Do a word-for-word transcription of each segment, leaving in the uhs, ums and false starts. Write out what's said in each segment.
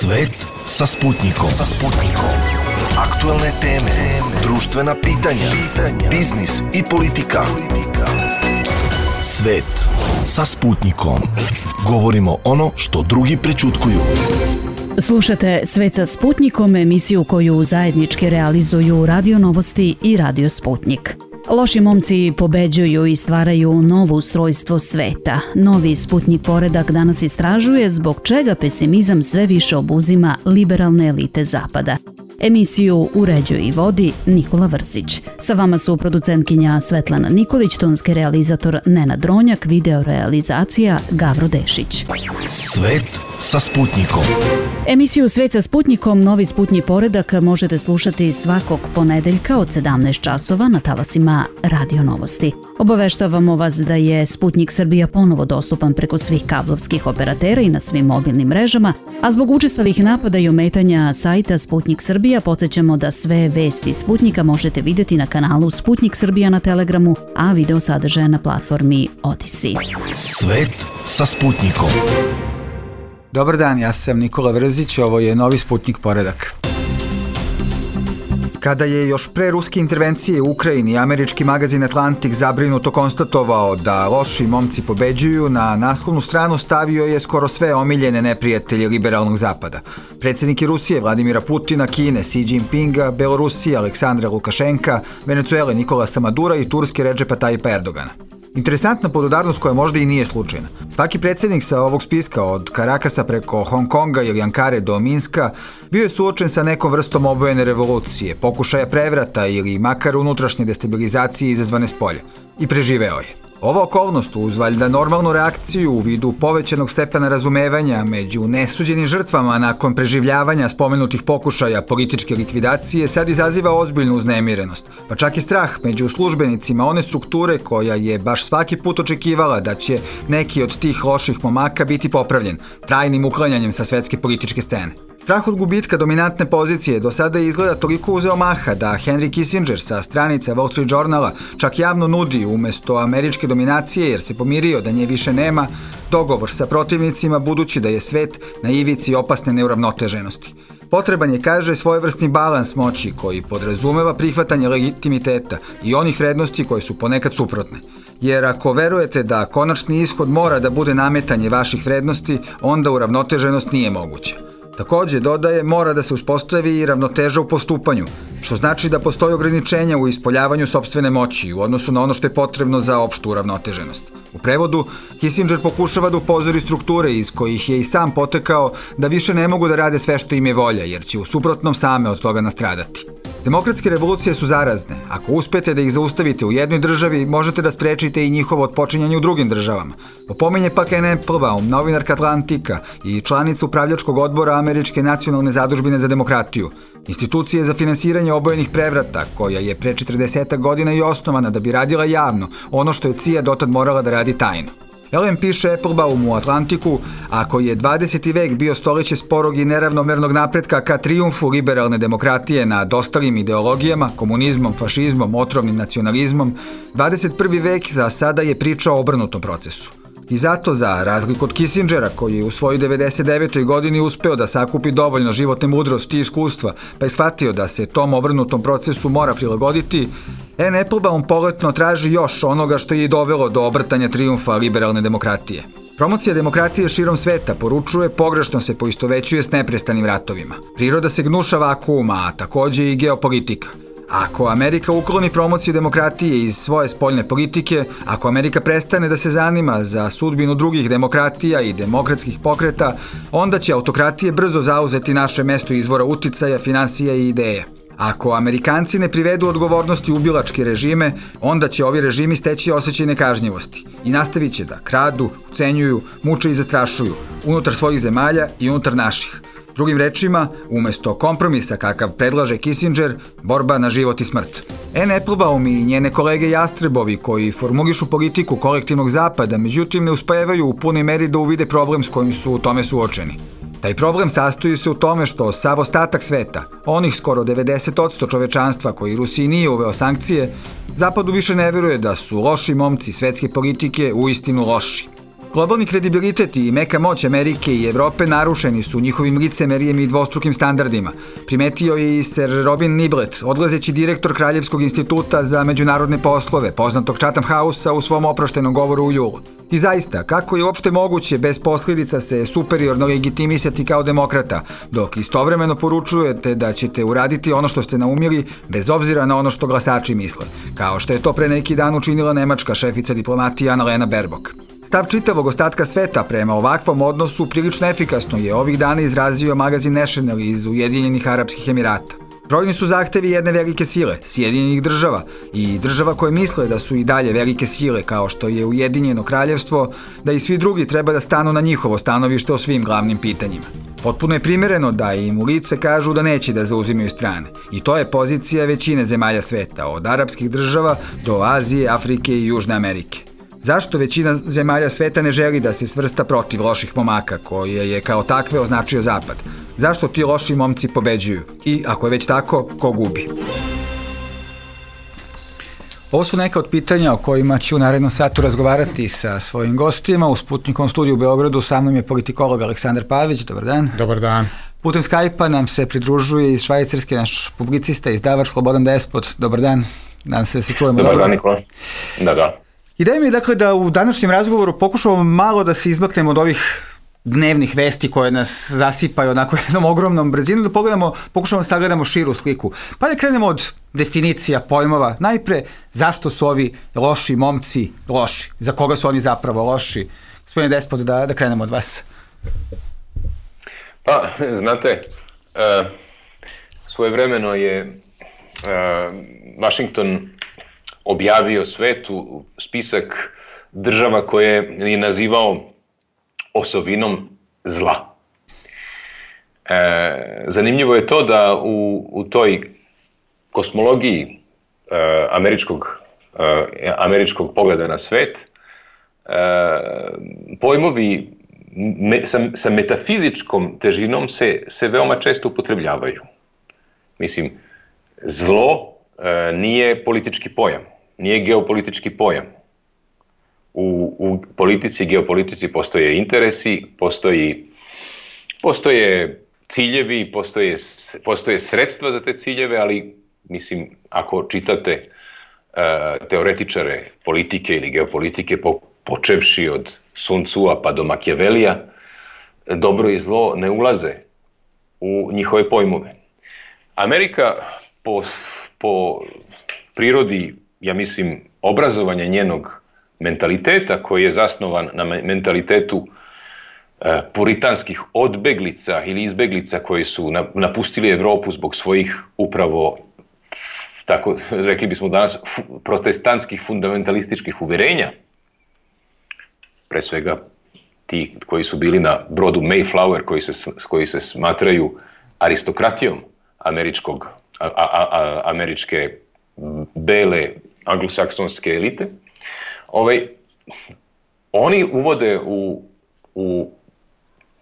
Svet sa Sputnikom. Sa Sputnikom. Aktuelne teme, društvena pitanja, biznis i politika. Svet sa Sputnikom. Govorimo ono što drugi prećutkuju. Slušate Svet sa Sputnikom, emisiju koju zajednički realizuju Radio Novosti i Radio Sputnik. Loši momci pobeđuju i stvaraju novo ustrojstvo sveta. Novi Sputnik poredak danas istražuje zbog čega pesimizam sve više obuzima liberalne elite Zapada. Emisiju uređuje i vodi Nikola Vrzić. Sa vama su producentkinja Svetlana Nikolić, tonski realizator Nenad Dronjak, video realizacija Gavro Dešić. Svet sa Sputnikom. Emisiju Svet sa Sputnikom, novi Sputnik poredak, možete slušati svakog ponedeljka od sedamnaest časova na talasima Radio Novosti. Obaveštavamo vas da je Sputnik Srbija ponovo dostupan preko svih kablovskih operatera i na svim mobilnim mrežama, a zbog učestalih napada i ometanja sajta Sputnik Srbija podsjećamo da sve vesti Sputnika možete vidjeti na kanalu Sputnik Srbija na Telegramu, a video sadržaje na platformi Odisi. Svet sa Sputnikom. Dobar dan, ja sam Nikola Vrzić, ovo je novi Sputnik poredak. Kada je još pre ruske intervencije u Ukrajini američki magazin Atlantik zabrinuto konstatovao da loši momci pobeđuju, na naslovnu stranu stavio je skoro sve omiljene neprijatelje liberalnog zapada. Predsjednike Rusije Vladimira Putina, Kine Xi Jinpinga, Belorusije Aleksandra Lukašenka, Venecuele Nikolasa Madura i Turske Redžepa Tajipa Erdogana. Interesantna podudarnost koja možda i nije slučajna. Svaki predsjednik sa ovog spiska, od Karakasa preko Hong Konga ili Ankare do Minska, bio je suočen sa nekom vrstom obojene revolucije, pokušaja prevrata ili makar unutrašnje destabilizacije izazvane spolja. I preživeo je. Ova okolnost, uz valjda normalnu reakciju u vidu povećanog stepena razumevanja među nesuđenim žrtvama nakon preživljavanja spomenutih pokušaja političke likvidacije, sad izaziva ozbiljnu uznemirenost, pa čak i strah među službenicima one strukture koja je baš svaki put očekivala da će neki od tih loših momaka biti popravljen, trajnim uklanjanjem sa svetske političke scene. Strah od gubitka dominantne pozicije do sada je izgleda toliko uzeo maha da Henry Kissinger sa stranica Wall Street Journala čak javno nudi umjesto američke dominacije, jer se pomirio da nje više nema, dogovor sa protivnicima budući da je svet na ivici opasne neuravnoteženosti. Potreban je, kaže, svojevrsni balans moći koji podrazumeva prihvatanje legitimiteta i onih vrednosti koje su ponekad suprotne. Jer ako verujete da konačni ishod mora da bude nametanje vaših vrednosti, onda uravnoteženost nije moguća. Također, dodaje, mora da se uspostavi i ravnoteža u postupanju, što znači da postoji ograničenja u ispoljavanju sopstvene moći u odnosu na ono što je potrebno za opštu uravnoteženost. U prevodu, Kissinger pokušava da upozori strukture iz kojih je i sam potekao da više ne mogu da rade sve što im je volja, jer će u suprotnom same od toga nastradati. Demokratske revolucije su zarazne. Ako uspete da ih zaustavite u jednoj državi, možete da sprečite i njihovo otpočinjanje u drugim državama. Popominje pak Anne Applebaum, novinarka Atlantika i članica upravljačkog odbora Američke nacionalne zadužbine za demokratiju, institucije za finansiranje obojenih prevrata, koja je pre četrdeset godina i osnovana da bi radila javno ono što je C I A dotad morala da radi tajno. Ellen piše Applebaum u Atlantiku, ako je dvadeseti vek bio stoljeće sporog i neravnomernog napretka ka trijumfu liberalne demokratije nad ostalim ideologijama, komunizmom, fašizmom, otrovnim nacionalizmom, dvadeset prvi vek za sada je priča o obrnutom procesu. I zato, za razliku od Kissingera, koji je u svojoj devedeset devetoj godini uspeo da sakupi dovoljno životne mudrosti i iskustva, pa je shvatio da se tom obrnutom procesu mora prilagoditi, Anne Applebaum poletno traži još onoga što je i dovelo do obrtanja trijumfa liberalne demokratije. Promocija demokratije širom sveta, poručuje, pogrešno se poistovećuje s neprestanim ratovima. Priroda se gnuša vakuuma, a također i geopolitika. Ako Amerika ukloni promociju demokratije iz svoje spoljne politike, ako Amerika prestane da se zanima za sudbinu drugih demokratija i demokratskih pokreta, onda će autokratije brzo zauzeti naše mesto izvora uticaja, finansija i ideja. Ako Amerikanci ne privedu odgovornosti ubilačke režime, onda će ovi režimi steći osjećaj nekažnjivosti i nastavit će da kradu, ucenjuju, muče i zastrašuju unutar svojih zemalja i unutar naših. Drugim rečima, umjesto kompromisa kakav predlaže Kissinger, borba na život i smrt. Anne Applebaum i njene kolege Jastrebovi, koji formulišu politiku kolektivnog zapada, međutim ne uspevaju u punoj meri da uvide problem s kojim su u tome suočeni. Taj problem sastoji se u tome što sav ostatak sveta, onih skoro devedeset posto čovečanstva koji Rusiji nije uveo sankcije, Zapadu više ne veruje da su loši momci svetske politike uistinu loši. Globalni kredibilitet i meka moć Amerike i Evrope narušeni su njihovim licemerijem i dvostrukim standardima. Primetio je i Sir Robin Niblett, odlazeći direktor Kraljevskog instituta za međunarodne poslove, poznatog Chatham House-a u svom oproštenom govoru u julu. I zaista, kako je uopšte moguće bez posljedica se superiorno legitimisati kao demokrata, dok istovremeno poručujete da ćete uraditi ono što ste naumili bez obzira na ono što glasači misle, kao što je to pre neki dan učinila nemačka šefica diplomatije Annalena Baerbock. Stav čitavog ostatka sveta prema ovakvom odnosu prilično efikasno je ovih dana izrazio magazin National iz Ujedinjenih Arapskih Emirata. Brojni su zahtevi jedne velike sile, Sjedinjenih država, i država koje misle da su i dalje velike sile kao što je Ujedinjeno kraljevstvo, da i svi drugi treba da stanu na njihovo stanovište o svim glavnim pitanjima. Potpuno je primereno da im u lice kažu da neće da zauzimaju strane. I to je pozicija većine zemalja sveta, od arapskih država do Azije, Afrike i Južne Amerike. Zašto većina zemalja sveta ne želi da se svrsta protiv loših momaka, koje je kao takve označio Zapad? Zašto ti loši momci pobeđuju? I, ako je već tako, ko gubi? Ovo su neka od pitanja o kojima ću u narednom satu razgovarati sa svojim gostima. U Sputnikovom studiju u Beogradu sa mnom je politikolog Aleksandar Pavić. Dobar dan. Dobar dan. Putem Skype-a nam se pridružuje iz Švajcarske naš publicista, izdavač Slobodan Despot. Dobar dan. Nadam se da se čujemo. Dobar dan, Nikola. Da, da. Ideja mi je dakle da u današnjem razgovoru pokušamo malo da se izmaknemo od ovih dnevnih vesti koje nas zasipaju onako jednom ogromnom brzinom, da pogledamo, pokušamo da sagledamo širu sliku. Pa da krenemo od definicija pojmova. Najpre, zašto su ovi loši momci loši? Za koga su oni zapravo loši? Gospodine Despot, da, da krenemo od vas. Pa, znate, uh, svojevremeno je uh, Washington objavio svetu spisak država koje je nazivao osovinom zla. E, zanimljivo je to da u, u toj kosmologiji e, američkog, e, američkog pogleda na svet e, pojmovi me, sa, sa metafizičkom težinom se, se veoma često upotrebljavaju. Mislim, zlo e, nije politički pojam, nije geopolitički pojam. U, u politici i geopolitici postoje interesi, postoji, postoje ciljevi, postoje, postoje sredstva za te ciljeve, ali mislim, ako čitate uh, teoretičare politike ili geopolitike, po, počevši od Sun Tzu-a pa do Machiavellija, dobro i zlo ne ulaze u njihove pojmove. Amerika po, po prirodi, ja mislim, obrazovanja njenog mentaliteta koji je zasnovan na mentalitetu e, puritanskih odbeglica ili izbeglica koji su na, napustili Evropu zbog svojih upravo, tako rekli bismo danas, fu, protestantskih fundamentalističkih uverenja, pre svega ti koji su bili na brodu Mayflower, koji se, koji se smatraju aristokratijom američkog, a, a, a, američke bele anglosaksonske elite. Ovaj, oni uvode u, u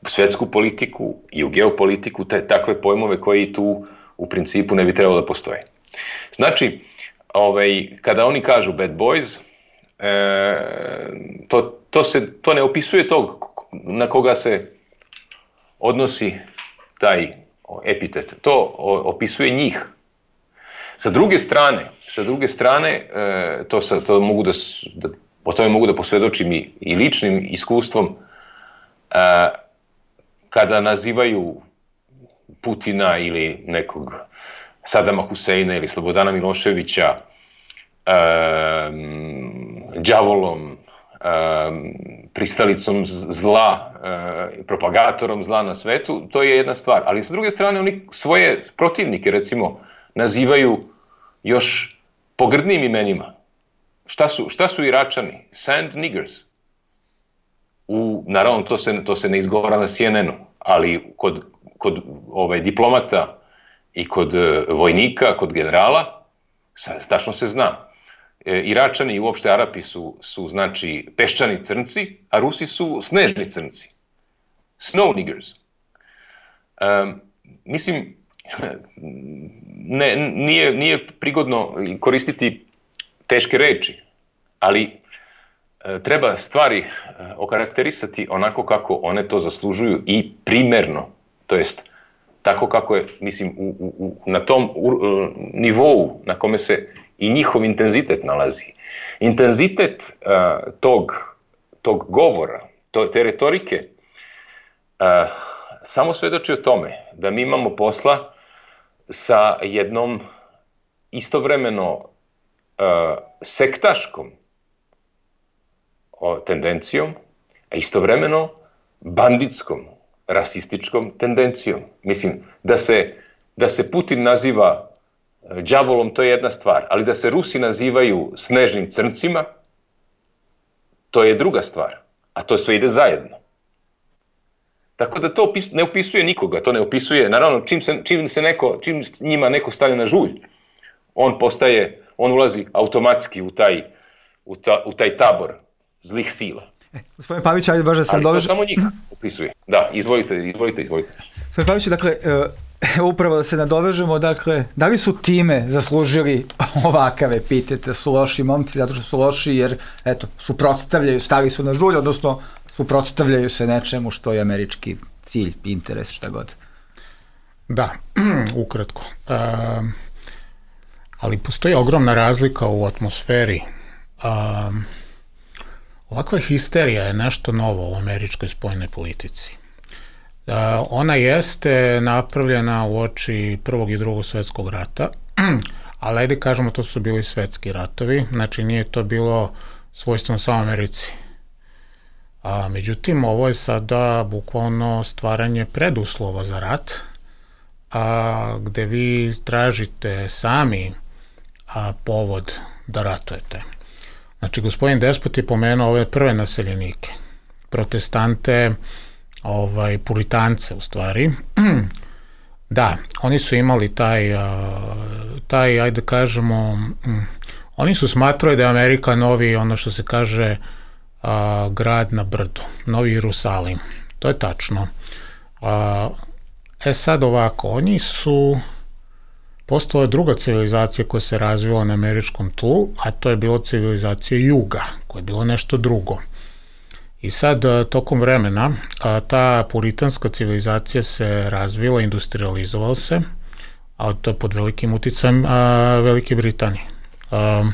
svetsku politiku i u geopolitiku te, takve pojmove koji tu u principu ne bi trebalo da postoje. Znači, ovaj, kada oni kažu bad boys, e, to, to, se, to ne opisuje tog na koga se odnosi taj epitet. To opisuje njih. Sa druge strane, sa druge strane, e, to, sa, to mogu da, da, o tome mogu da posvjedočim i, i ličnim iskustvom, e, kada nazivaju Putina ili nekog Sadama Huseina ili Slobodana Miloševića e, đavolom, e, pristalicom zla, e, propagatorom zla na svetu, to je jedna stvar. Ali sa druge strane, oni svoje protivnike, recimo, nazivaju još pogrdnim imenima. Šta su, šta su Iračani? Sand niggers. U, naravno, to se, to se ne izgovara na C N N-u, ali kod, kod ovaj, diplomata i kod vojnika, kod generala, tačno se zna. E, Iračani i uopšte Arapi su, su, znači, peščani crnci, a Rusi su snežni crnci. Snow niggers. Um, mislim, Ne, nije, nije prigodno koristiti teške reči, ali treba stvari okarakterisati onako kako one to zaslužuju i primerno, to jest tako kako je, mislim, u, u, na tom u, nivou na kome se i njihov intenzitet nalazi. Intenzitet uh, tog, tog govora, to, te retorike, uh, samo svedoči o tome da mi imamo posla sa jednom istovremeno uh, sektaškom o, tendencijom, a istovremeno banditskom, rasističkom tendencijom. Mislim, da se, da se Putin naziva đavolom, to je jedna stvar, ali da se Rusi nazivaju snežnim crncima, to je druga stvar, a to sve ide zajedno. Tako da to ne opisuje nikoga, to ne opisuje, naravno, čim, se, čim, se neko, čim njima neko stane na žulj, on postaje, on ulazi automatski u taj, u ta, u taj tabor zlih sila. E, gospodin Pavić, ajde baš da se doveže... Ali to samo njih opisuje. Da, izvolite, izvolite, izvolite. Gospodin Pavić, dakle, evo upravo da se nadovežemo, dakle, da li su time zaslužili ovakav epitet, su loši momci zato što su loši jer, eto, suprotstavljaju, stali su na žulj, odnosno suprotstavljaju se nečemu što je američki cilj, interes, šta god. Da, ukratko. Uh, ali postoji ogromna razlika u atmosferi. Uh, ovakva histerija je nešto novo u američkoj spoljnoj politici. Uh, ona jeste napravljena u oči Prvog i Drugog svetskog rata, ali ajde kažemo to su bili svetski ratovi, znači nije to bilo svojstveno samo Americi. A, međutim, ovo je sada bukvalno stvaranje preduslova za rat, a, gde vi tražite sami a, povod da ratujete. Znači, gospodin Despot je pomenuo ove prve naseljenike, protestante, ovaj, puritance u stvari. Da, oni su imali taj, taj, ajde kažemo, oni su smatrali da je Amerika novi, ono što se kaže, a, grad na brdu, Novi Jerusalim. To je tačno. A, e sad ovako, oni su postala druga civilizacija koja se razvila na američkom tlu, a to je bila civilizacija juga, koja je bilo nešto drugo. I sad, tokom vremena, a, ta puritanska civilizacija se razvila, industrializovala se, a to je pod velikim uticajem a, Velike Britanije. A,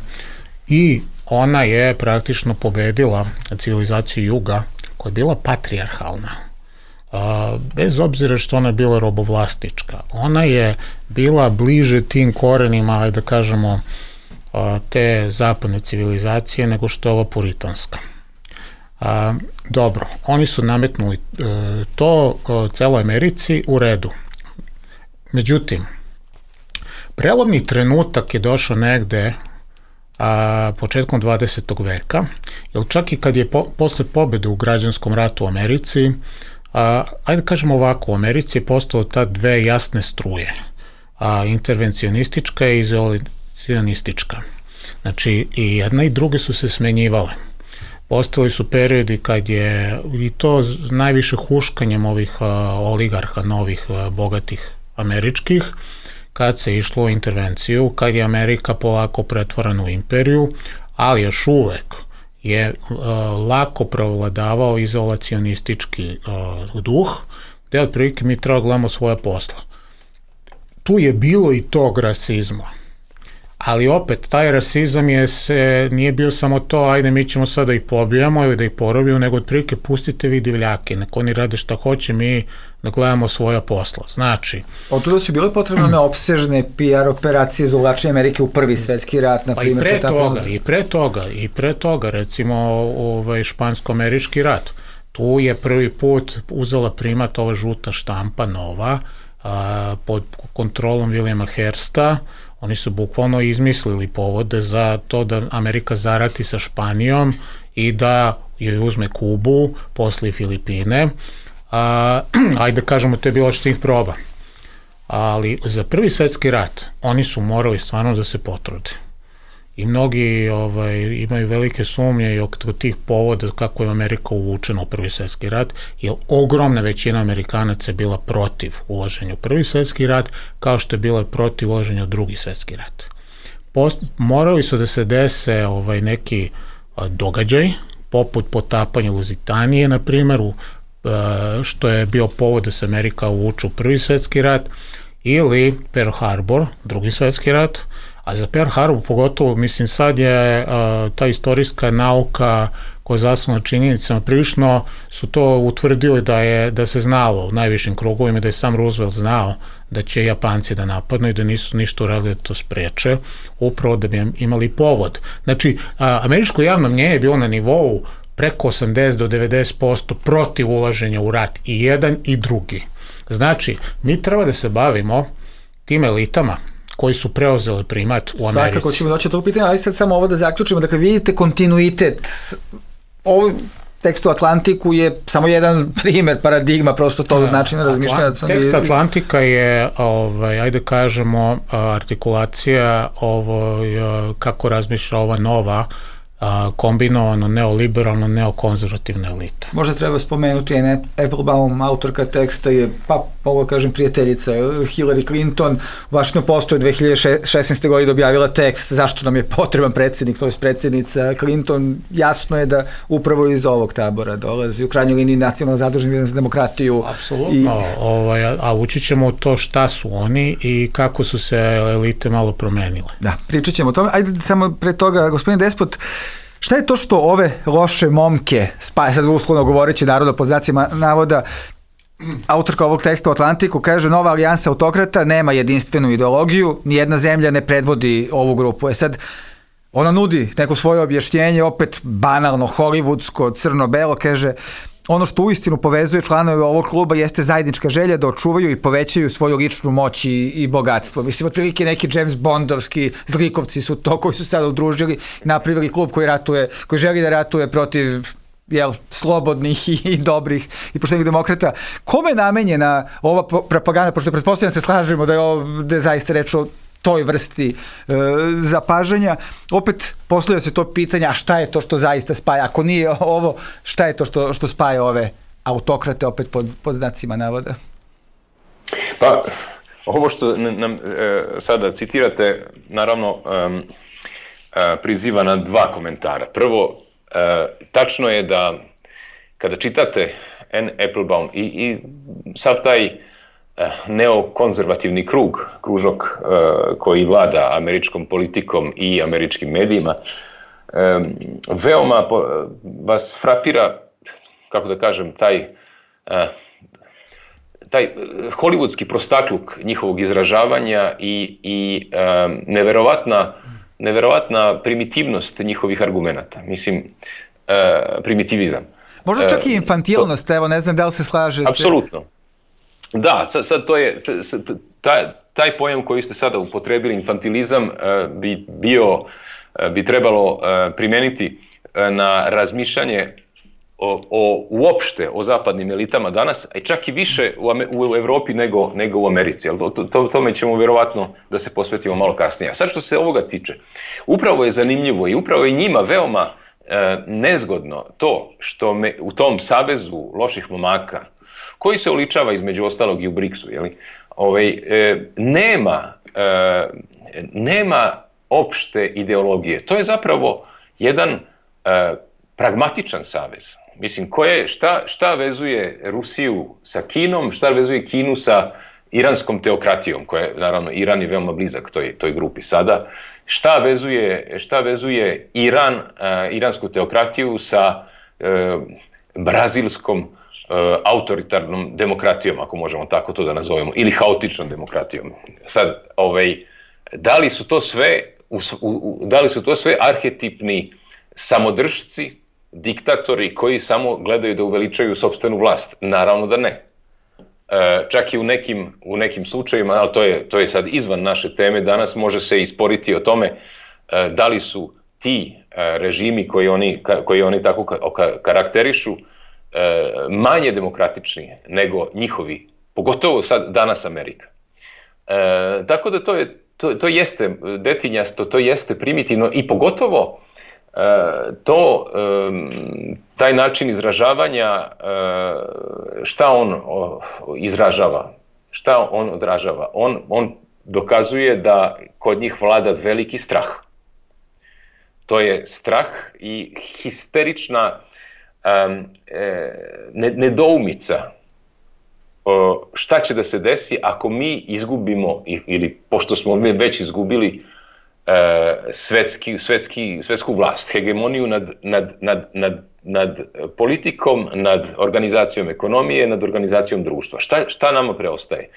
I ona je praktično pobedila civilizaciju juga, koja je bila patrijarhalna. A, bez obzira što ona je bila robovlasnička. Ona je bila bliže tim korenima, da kažemo, a, te zapadne civilizacije nego što je ova puritanska. A, dobro, oni su nametnuli e, to e, celoj Americi u redu. Međutim, prelomni trenutak je došao negde a, početkom dvadesetog veka, jer čak i kad je po, posle pobede u građanskom ratu u Americi, a, ajde kažemo ovako, u Americi je postalo ta dve jasne struje, a, intervencionistička i izolacionistička. Znači, i jedna i druge su se smenjivale. Postali su periodi kad je, i to najviše huškanjem ovih a, oligarha, novih a, bogatih američkih, kad se išlo u intervenciju, kad je Amerika polako pretvorena u imperiju, ali još uvek je uh, lako prevladavao izolacionistički uh, duh, gde otprilike mi treba gledamo svoje posla. Tu je bilo i tog rasizma, ali opet taj rasizam je se, nije bio samo to, ajde mi ćemo sada da ih pobijamo ili da ih porobimo, nego otprilike pustite vi divljake, nek oni rade šta hoće, mi da gledamo svoja posla. Znači... Od tuda su bile potrebne neopsežne P R operacije za uvlačenje Amerike u prvi svetski rat, na primjer. Pa i pre toga, i pre toga, i pre toga, recimo ovaj špansko-američki rat. Tu je prvi put uzela primat ova žuta štampa nova, a, pod kontrolom Williama Hearsta. Oni su bukvalno izmislili povode za to da Amerika zarati sa Španijom i da joj uzme Kubu, posle Filipine. A, ajde kažemo, to je bilo što ih proba. Ali za prvi svetski rat oni su morali stvarno da se potrude. I mnogi ovaj, imaju velike sumnje i oko tih povoda kako je Amerika uvučena u prvi svetski rat, jer ogromna većina Amerikanaca je bila protiv ulaženja u prvi svetski rat, kao što je bila protiv ulaženja u drugi svetski rat. Post, morali su da se dese ovaj, neki a, događaj poput potapanja Luzitanije, na primjer, što je bio povod da se Amerika uvuče u Prvi svetski rat, ili Pearl Harbor, Drugi svetski rat, a za Pearl Harbor pogotovo, mislim, sad je a, ta istorijska nauka koja je zasnovana činjenicama, prilično su to utvrdili da je da se znalo u najvišim krugovima, da je sam Roosevelt znao da će Japanci da napadnu i da nisu ništa uradili da to spreče, upravo da bi imali povod. Znači, a, američko javno mnjenje je bilo na nivou preko osamdeset do devedeset posto protiv ulaženja u rat, i jedan i drugi. Znači, mi treba da se bavimo tim elitama koji su preuzeli primat u Americi. Svakako ćemo doći od tog pitanja, ali sad samo ovo da zaključimo. Dakle, vidite kontinuitet. Ovo tekst u Atlantiku je samo jedan primer, paradigma prosto tog načina razmišljanja. Tekst Atlantika je, ovaj, ajde kažemo, artikulacija ovo, kako razmišlja ova nova kombinovano neoliberalno, neokonzervativna elita. Možda treba spomenuti, je Applebaum, autorka teksta je, pa mogu kažem, prijateljica Hillary Clinton. U Washington Postu je dve hiljade šesnaeste. godine objavila tekst zašto nam je potreban predsjednik, to je predsjednica Clinton. Jasno je da upravo iz ovog tabora dolazi, u krajnjoj liniji nacionalno zadužen za demokratiju. Apsolutno, i... ovaj, a ući ćemo u to šta su oni i kako su se elite malo promenile. Da, pričat ćemo o tome. Ajde samo pre toga, gospodin Despot, šta je to što ove loše momke spaja, sad uslovno govoreći narodno pod znacima navoda, autorka ovog teksta u Atlantiku kaže: nova alijansa autokrata nema jedinstvenu ideologiju, nijedna zemlja ne predvodi ovu grupu. E sad, ona nudi neko svoje objašnjenje, opet banalno, hollywoodsko, crno-belo, kaže: ono što uistinu povezuje članove ovog kluba jeste zajednička želja da očuvaju i povećaju svoju ličnu moć i, i bogatstvo. Mislim, otprilike neki James Bondovski zlikovci su to koji su sada udružili i napravili klub koji ratuje, koji želi da ratuje protiv, jel, slobodnih i, i dobrih i poštenih demokrata. Kome je namenjena ova propaganda, pošto pretpostavljam se slažemo da je ovo da je zaista reč o toj vrsti e, zapažanja. Opet postavlja se to pitanje, a šta je to što zaista spaja? Ako nije ovo, šta je to što, što spaja ove autokrate, opet pod, pod znacima navoda? Pa, ovo što nam e, sada citirate, naravno, e, e, priziva na dva komentara. Prvo, e, tačno je da kada čitate Anne Applebaum i, i sav taj neokonzervativni krug, kružok uh, koji vlada američkom politikom i američkim medijima, um, veoma po, vas frapira, kako da kažem, taj, uh, taj hollywoodski prostakluk njihovog izražavanja i, i um, neverovatna, neverovatna primitivnost njihovih argumenata. Mislim, uh, primitivizam. Možda čak i infantilnost, uh, evo, ne znam da li se slažete. Apsolutno. Da, sad, sad to je, sad, taj, taj pojam koji ste sada upotrebili, infantilizam, uh, bi bio, uh, bi trebalo uh, primeniti uh, na razmišljanje o, o, uopšte o zapadnim elitama danas, a čak i više u, u Evropi nego, nego u Americi. To, to, tome ćemo vjerovatno da se posvetimo malo kasnije. A sad što se ovoga tiče, upravo je zanimljivo i upravo je njima veoma uh, nezgodno to što me, u tom savezu loših momaka, koji se oličava između ostalog i u briksu, jeli? Ovaj, e, nema, e, nema opšte ideologije. To je zapravo jedan e, pragmatičan savez. Mislim, koje, šta, šta vezuje Rusiju sa Kinom, šta vezuje Kinu sa iranskom teokratijom, koja je, naravno, Iran je veoma blizak toj, toj grupi sada. Šta vezuje, šta vezuje Iran, e, iransku teokratiju sa e, brazilskom autoritarnom demokratijom, ako možemo tako to da nazovemo, ili haotičnom demokratijom. Sad, ovaj, da li su to sve, u, u, da li su to sve arhetipni samodržci, diktatori koji samo gledaju da uveličaju sopstvenu vlast? Naravno da ne. E, čak i u nekim, u nekim slučajima, ali to je, to je sad izvan naše teme, danas može se isporiti o tome e, da li su ti e, režimi koji oni, koji oni tako karakterišu manje demokratični nego njihovi, pogotovo sad danas Amerika. E, tako da to, je, to, to jeste detinjasto, to jeste primitivno i pogotovo e, to, e, taj način izražavanja, e, šta on o, izražava, šta on odražava. On, on dokazuje da kod njih vlada veliki strah. To je strah i histerična um, e, nedoumica o, šta će da se desi ako mi izgubimo, ili pošto smo mi već izgubili e, svetski, svetski, svetsku vlast, hegemoniju nad, nad, nad, nad, nad politikom, nad organizacijom ekonomije, nad organizacijom društva. Šta, šta nama preostaje?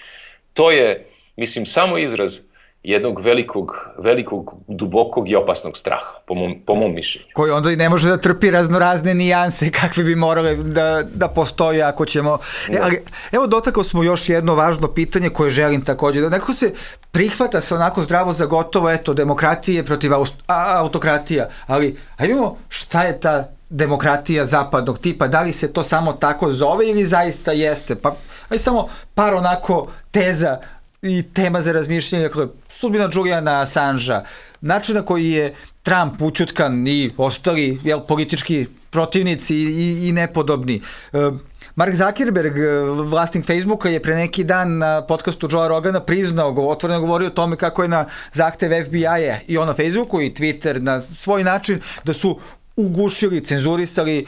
To je, mislim, samo izraz jednog velikog, velikog, dubokog i opasnog straha, po mom, po mom mišljenju. Koji onda i ne može da trpi raznorazne nijanse kakve bi morale da, da postoje ako ćemo... E, ali, evo, dotakao smo još jedno važno pitanje koje želim također. Da nekako se prihvata se onako zdravo za gotovo, eto, demokratije protiv autokratija, ali ajde vidimo šta je ta demokratija zapadnog tipa, da li se to samo tako zove ili zaista jeste? Pa, ajde samo par onako teza i tema za razmišljanje, dakle, sudbina Juliana Assangea, način na koji je Trump učutkan i ostali jel, politički protivnici i, i nepodobni. Mark Zuckerberg, vlasnik Facebooka, je pre neki dan na podcastu Joea Rogana priznao, otvoreno govorio o tome kako je na zahtev F B I-a i on na Facebooku i Twitter na svoj način da su ugušili, cenzurisali e,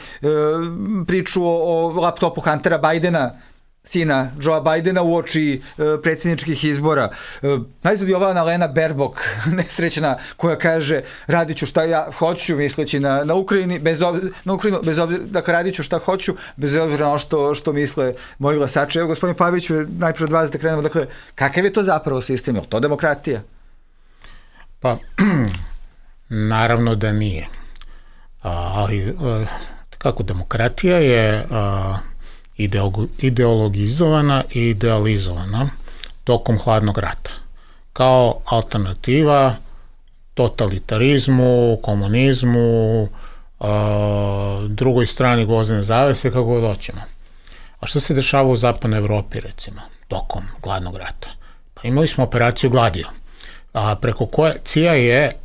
priču o, o laptopu Huntera Bidena, sina Joea Bidena, u oči e, predsjedničkih izbora. E, najzad je ova Annalena Baerbock, nesrećna, koja kaže radit ću šta ja hoću, misleći na, na Ukrajini, bez obzira, na Ukrajinu, bez obzira, dakle radit ću šta hoću, bez obzira na ono što, što misle moji glasači. Evo, gospodin Paviću, najprije od vas da krenemo, dakle, kakav je to zapravo sistem? Je li to demokratija? Pa, naravno da nije. A, ali, a, kako demokratija je... A, ideologizovana i idealizovana tokom hladnog rata kao alternativa totalitarizmu, komunizmu, drugoj strani gvozdene zavese, kako god hoćemo. A šta se dešava u zapadnoj Evropi, recimo, tokom hladnog rata? Pa imali smo operaciju Gladio, a preko koje C I A je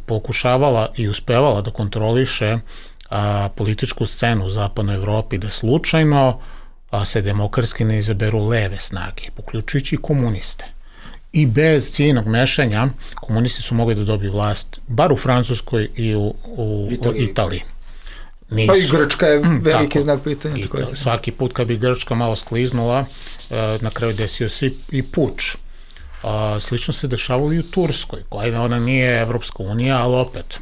pokušavala i uspevala da kontroliše a, političku scenu u zapadnoj Evropi, da slučajno a, se demokratski ne izaberu leve snage, uključujući i komuniste. I bez ciljnog mešanja komunisti su mogli da dobiju vlast, bar u Francuskoj i u, u Italiji. Italiji. Nisu. Pa i Grčka je veliki tako, znak pitanja. Italija, svaki put kad bi Grčka malo skliznula, a, na kraju desio se i, i puč. A, slično se dešavalo i u Turskoj, koja ona nije Evropska unija, ali opet,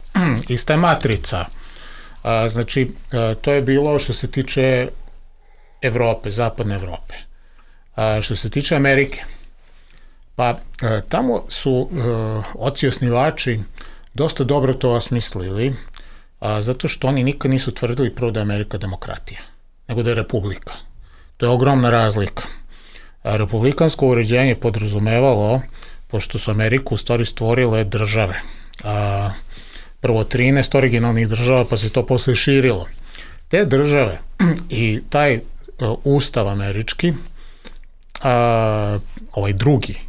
ista je matrica. A, znači, a, to je bilo što se tiče Evrope, zapadne Evrope. A, što se tiče Amerike, pa a, tamo su a, oci osnivači dosta dobro to osmislili, a, zato što oni nikad nisu tvrdili prvo da je Amerika demokratija, nego da je republika. To je ogromna razlika. A, republikansko uređenje podrazumevalo, pošto su Ameriku u stvari stvorile države, a, prvo trinaest originalnih država, pa se to posle širilo. Te države i taj uh, ustav američki, uh, ovaj drugi,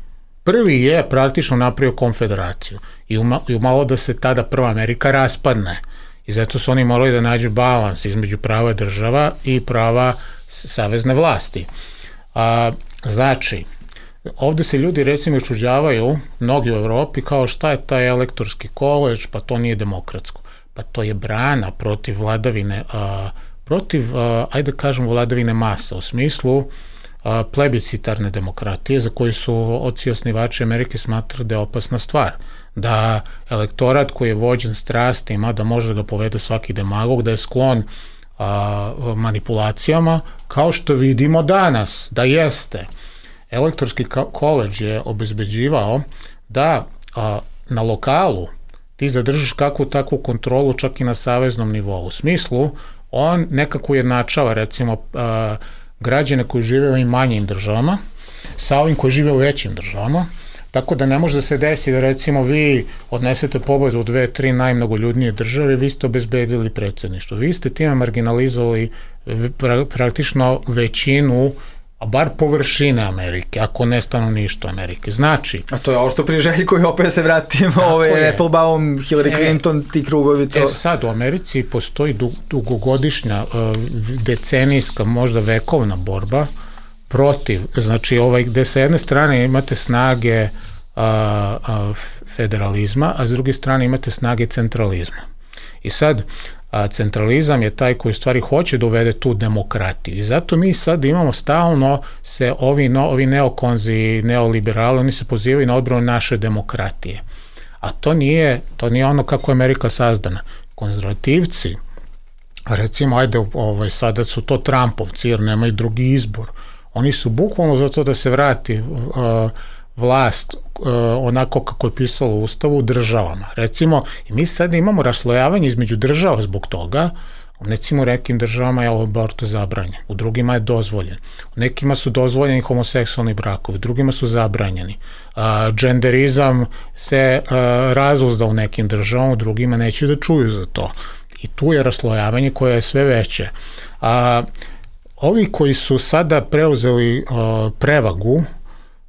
prvi je praktično napravio konfederaciju i, uma, i umalo da se tada prva Amerika raspadne. I zato su oni morali da nađu balans između prava država i prava savezne vlasti. Uh, znači, ovde se ljudi recimo iščuđavaju, mnogi u Evropi, kao šta je taj elektorski koleđ, pa to nije demokratsko. Pa to je brana protiv vladavine, a, protiv, a, ajde da kažemo, vladavine masa, u smislu a, plebiscitarne demokratije, za koju su oci osnivači Amerike smatrali da je opasna stvar. Da elektorat koji je vođen strastima, da može da ga povede svaki demagog, da je sklon a, manipulacijama, kao što vidimo danas, da jeste. Elektorski koleđ je obezbeđivao da a, na lokalu ti zadržiš kakvu takvu kontrolu čak i na saveznom nivou. U smislu, on nekako ujednačava recimo a, građane koji žive u ovim manjim državama sa ovim koji žive u većim državama, tako da ne može da se desi da recimo vi odnesete pobedu u dve, tri najmnogoljudnije države, vi ste obezbedili predsjedništvo. Vi ste time marginalizovali pra, praktično većinu, a bar površine Amerike, ako ne stanovništvo Amerike. Znači... A to je ovo što pri Željko i opet se vratimo, ove Applebaum, Hillary Clinton, e, ti krugovi, to... E sad, u Americi postoji dug, dugogodišnja, decenijska, možda vekovna borba protiv, znači ovaj, gde sa jedne strane imate snage a, a, federalizma, a s druge strane imate snage centralizma. I sad, a, centralizam je taj koji u stvari hoće da uvede tu demokratiju. I zato mi sad imamo stalno se ovi, no, ovi neokonzi, neoliberali, oni se pozivaju na odbranu naše demokratije. A to nije, to nije ono kako je Amerika sazdana. Konzervativci, recimo, ajde, ovaj, sada su to Trumpovci, jer nemaju drugi izbor. Oni su bukvalno za to da se vrati uh, vlast uh, onako kako je pisalo u Ustavu državama. Recimo, i mi sad imamo raslojavanje između država zbog toga. U recimo nekim državama je abortus zabranjen, u drugima je dozvoljen. U nekima su dozvoljeni homoseksualni brakovi, u drugima su zabranjeni. Uh, dženderizam se uh, razuzda u nekim državama, u drugima neće da čuju za to. I tu je raslojavanje koje je sve veće. A, ovi koji su sada preuzeli a, prevagu,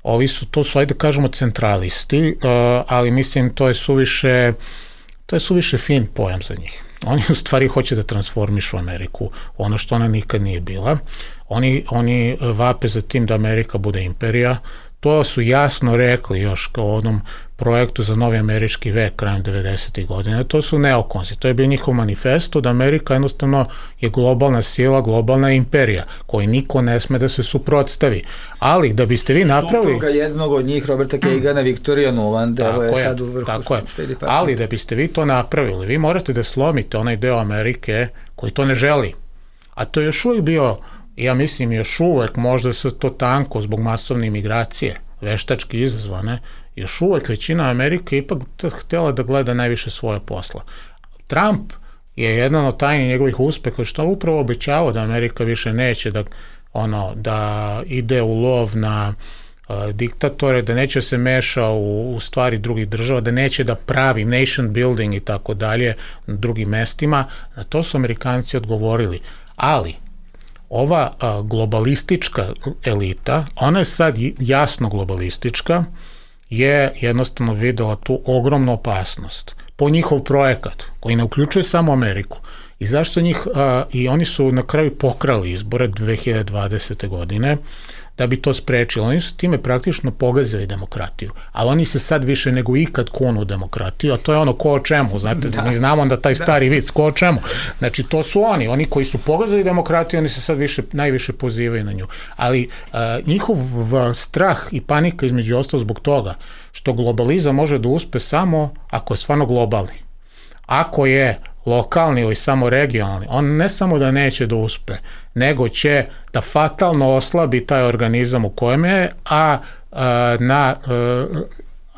ovi su, to su, ajde kažemo, centralisti, a, ali mislim to je suviše, to je suviše fin pojam za njih. Oni u stvari hoće da transformišu Ameriku, ono što ona nikad nije bila. Oni, oni vape za tim da Amerika bude imperija. To su jasno rekli još kao onom projektu za novi američki vek krajem devedesetih godina. To su neokonzi. To je bio njihov manifesto da Amerika jednostavno je globalna sila, globalna imperija, koji niko ne sme da se suprotstavi. Ali da biste vi napravili... Supruga jednog od njih, Roberta Kagana, Victoria Nuland, evo je sad u vrhu. Tako je. Ali da biste vi to napravili, vi morate da slomite onaj deo Amerike koji to ne želi. A to je još uvijek bio... Ja mislim još uvek, možda se to tanko zbog masovne imigracije, veštački izazvane, još uvek većina Amerike ipak htjela da gleda najviše svoje posla. Trump je jedan od tajnih njegovih uspeha što je upravo obećavao da Amerika više neće da, ono, da ide u lov na uh, diktatore, da neće se meša u, u stvari drugih država, da neće da pravi nation building i tako dalje na drugim mestima. Na to su Amerikanci odgovorili. Ali ova a, globalistička elita, ona je sad jasno globalistička, je jednostavno videla tu ogromnu opasnost po njihov projekat, koji ne uključuje samo Ameriku. I zašto njih, a, i oni su na kraju pokrali izbore dve hiljade dvadesete. godine, da bi to sprečili. Oni su time praktično pogazili demokratiju, ali oni se sad više nego ikad kunu u demokratiju, a to je ono ko o čemu, znate, da. Mi znamo da taj stari vic, ko o čemu. Znači, to su oni, oni koji su pogazili demokratiju, oni se sad više, najviše pozivaju na nju. Ali a, njihov strah i panika između ostalo zbog toga što globalizam može da uspe samo ako je stvarno globalni. Ako je lokalni ili samo regionalni, on ne samo da neće da uspe, nego će da fatalno oslabi taj organizam u kojem je, a, a, na, a,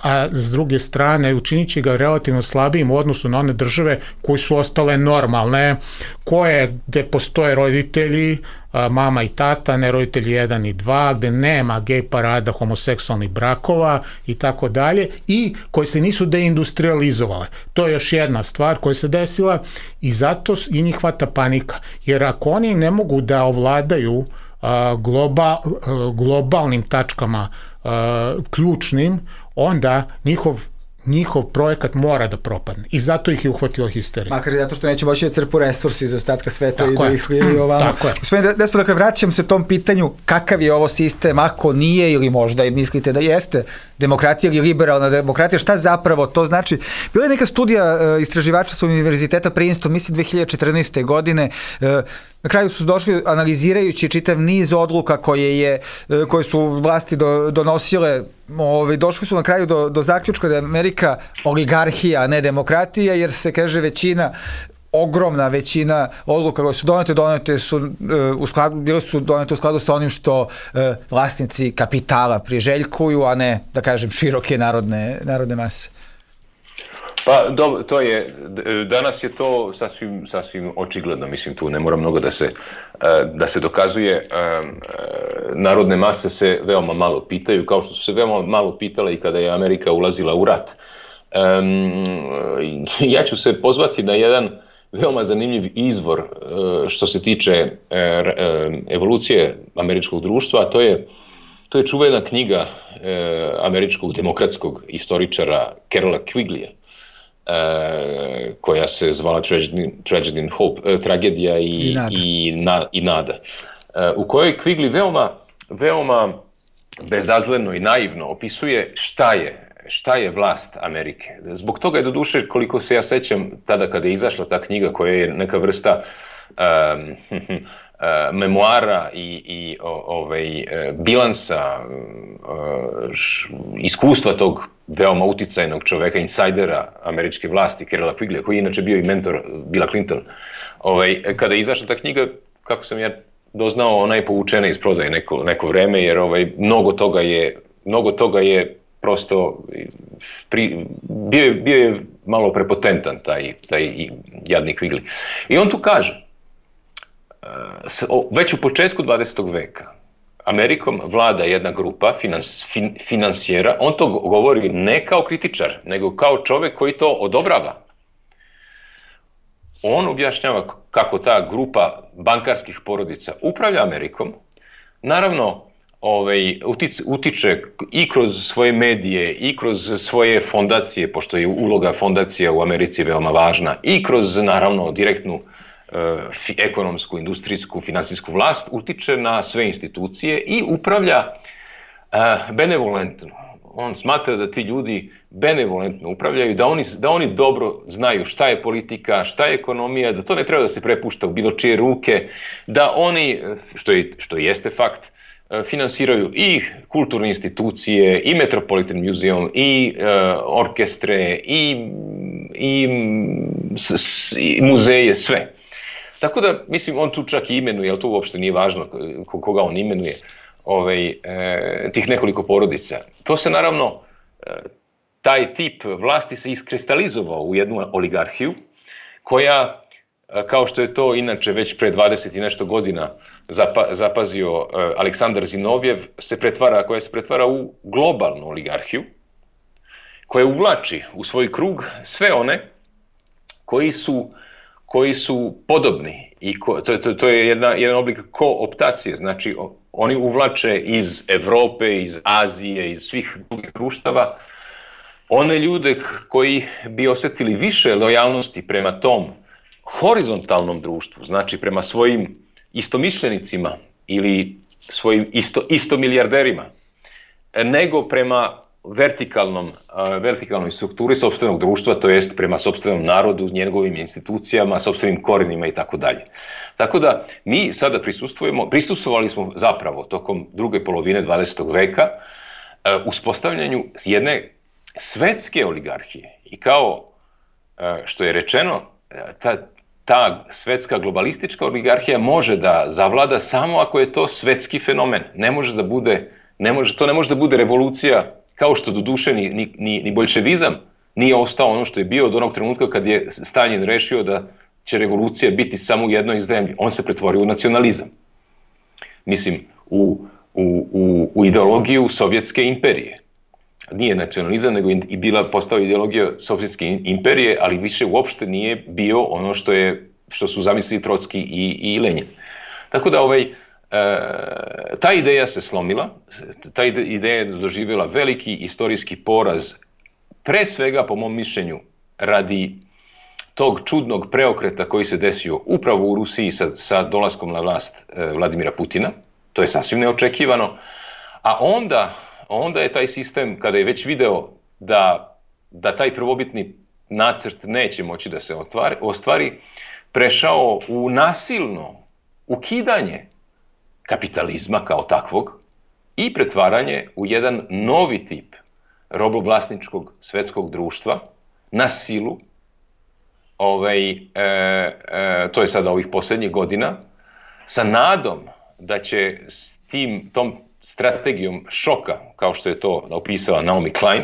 a s druge strane učinit će ga relativno slabijim u odnosu na one države koje su ostale normalne, koje, gde postoje roditelji, a, mama i tata, ne roditelji jedan i dva, gde nema gej parada, homoseksualnih brakova i tako dalje, i koje se nisu deindustrializovale. To je još jedna stvar koja se desila i zato i njih hvata panika. Jer ako oni ne mogu da ovladaju a, globa, a, globalnim tačkama a, ključnim, onda njihov njihov projekat mora da propadne. I zato ih je uhvatila histerija. Makar zato što neće moći da crpu resursi iz ostatka sveta tako i da ih sliju ovamo. Tako je. Gospodin Despot, dakle, vraćam se tom pitanju kakav je ovo sistem, ako nije ili možda i mislite da jeste demokratija ili liberalna demokratija, šta zapravo to znači? Bila je neka studija uh, istraživača sa univerziteta Princeton, mislim dve hiljade četrnaeste. godine, uh, na kraju su došli analizirajući čitav niz odluka koje, je, koje su vlasti do, donosile, ove, došli su na kraju do, do zaključka da je Amerika oligarhija, a ne demokratija, jer se, kaže, većina, ogromna većina odluka koje su donete, donete su, u skladu, bile su donete u skladu sa onim što e, vlasnici kapitala priželjkuju, a ne, da kažem, široke narodne, narodne mase. Pa dobro, to je, danas je to sasvim, sasvim očigledno, mislim tu ne mora mnogo da se, da se dokazuje, narodne mase se veoma malo pitaju, kao što su se veoma malo pitale i kada je Amerika ulazila u rat. Ja ću se pozvati na jedan veoma zanimljiv izvor što se tiče evolucije američkog društva, a to je, to je čuvena knjiga američkog demokratskog istoričara Carola Quigleya, Uh, koja se zvala Tragedy, Tragedy and Hope, uh, tragedija i, I nada, i na, i nada. Uh, u kojoj Quigley veoma, veoma bezazleno i naivno opisuje šta je šta je vlast Amerike. Zbog toga je doduše, koliko se ja sećam, tada kada je izašla ta knjiga koja je neka vrsta um, uh, memoara i, i o, ovaj, bilansa uh, š, iskustva tog veoma uticajnog čoveka, insajdera američke vlasti, Carrolla Quigley, koji je inače bio i mentor Billa Clinton. Ovaj, kada je izašla ta knjiga, kako sam ja doznao, ona je povučena iz prodaje neko, neko vreme, jer ovaj, mnogo toga je, mnogo toga je prosto, pri, bio, je, bio je malo prepotentan taj, taj jadni Quigley. I on tu kaže, već u početku dvadesetog veka Amerikom vlada jedna grupa finans, fin, finansijera, on to govori ne kao kritičar, nego kao čovek koji to odobrava. On objašnjava kako ta grupa bankarskih porodica upravlja Amerikom, naravno ovaj, utiče, utiče i kroz svoje medije, i kroz svoje fondacije, pošto je uloga fondacija u Americi veoma važna, i kroz naravno direktnu Fi, ekonomsku, industrijsku, finansijsku vlast, utiče na sve institucije i upravlja uh, benevolentno. On smatra da ti ljudi benevolentno upravljaju, da oni, da oni dobro znaju šta je politika, šta je ekonomija, da to ne treba da se prepušta u bilo čije ruke, da oni, što, je, što jeste fakt, finansiraju i kulturne institucije, i Metropolitan Museum, i uh, orkestre, i, i, s, s, i muzeje, sve. Tako da, mislim, on tu čak i imenuje, ali to uopšte nije važno koga on imenuje, ovaj, e, tih nekoliko porodica. To se naravno, e, taj tip vlasti se iskristalizovao u jednu oligarhiju, koja, kao što je to inače već pre dvadeset i nešto godina zapa, zapazio e, Aleksandar Zinovjev, se pretvara, koja se pretvara u globalnu oligarhiju, koja uvlači u svoj krug sve one koji su koji su podobni i ko, to, to, to je jedna, jedan oblik kooptacije, znači oni uvlače iz Evrope, iz Azije, iz svih drugih društava one ljude koji bi osetili više lojalnosti prema tom horizontalnom društvu, znači prema svojim istomišljenicima ili svojim isto, istomilijarderima, nego prema vertikalnom, vertikalnoj strukturi sopstvenog društva, to jest prema sopstvenom narodu, njegovim institucijama, sopstvenim korenima i tako dalje. Tako da mi sada prisustvujemo, prisustvovali smo zapravo tokom druge polovine dvadesetog veka uspostavljanju jedne svetske oligarhije. I kao što je rečeno, ta, ta svetska globalistička oligarhija može da zavlada samo ako je to svetski fenomen. Ne može da bude, ne može, to ne može da bude revolucija, kao što doduše ni, ni, ni boljševizam nije ostao ono što je bio od onog trenutka kad je Staljin rešio da će revolucija biti samo u jednoj zemlji. On se pretvorio u nacionalizam. Mislim, u, u, u, u ideologiju Sovjetske imperije. Nije nacionalizam, nego i bila postala ideologija Sovjetske imperije, ali više uopšte nije bio ono što, je, što su zamislili Trotski i, i Lenin. Tako da ovaj... E, ta ideja se slomila, ta ideja je doživjela veliki istorijski poraz, pre svega po mom mišljenju radi tog čudnog preokreta koji se desio upravo u Rusiji sa, sa dolaskom na vlast e, Vladimira Putina, to je sasvim neočekivano, a onda, onda je taj sistem, kada je već video da, da taj prvobitni nacrt neće moći da se ostvari, ostvari prešao u nasilno ukidanje kapitalizma kao takvog i pretvaranje u jedan novi tip robovlasničkog svetskog društva na silu. Ovaj, e, e, to je sada ovih posljednjih godina, sa nadom da će s tim, tom strategijom šoka, kao što je to opisala Naomi Klein,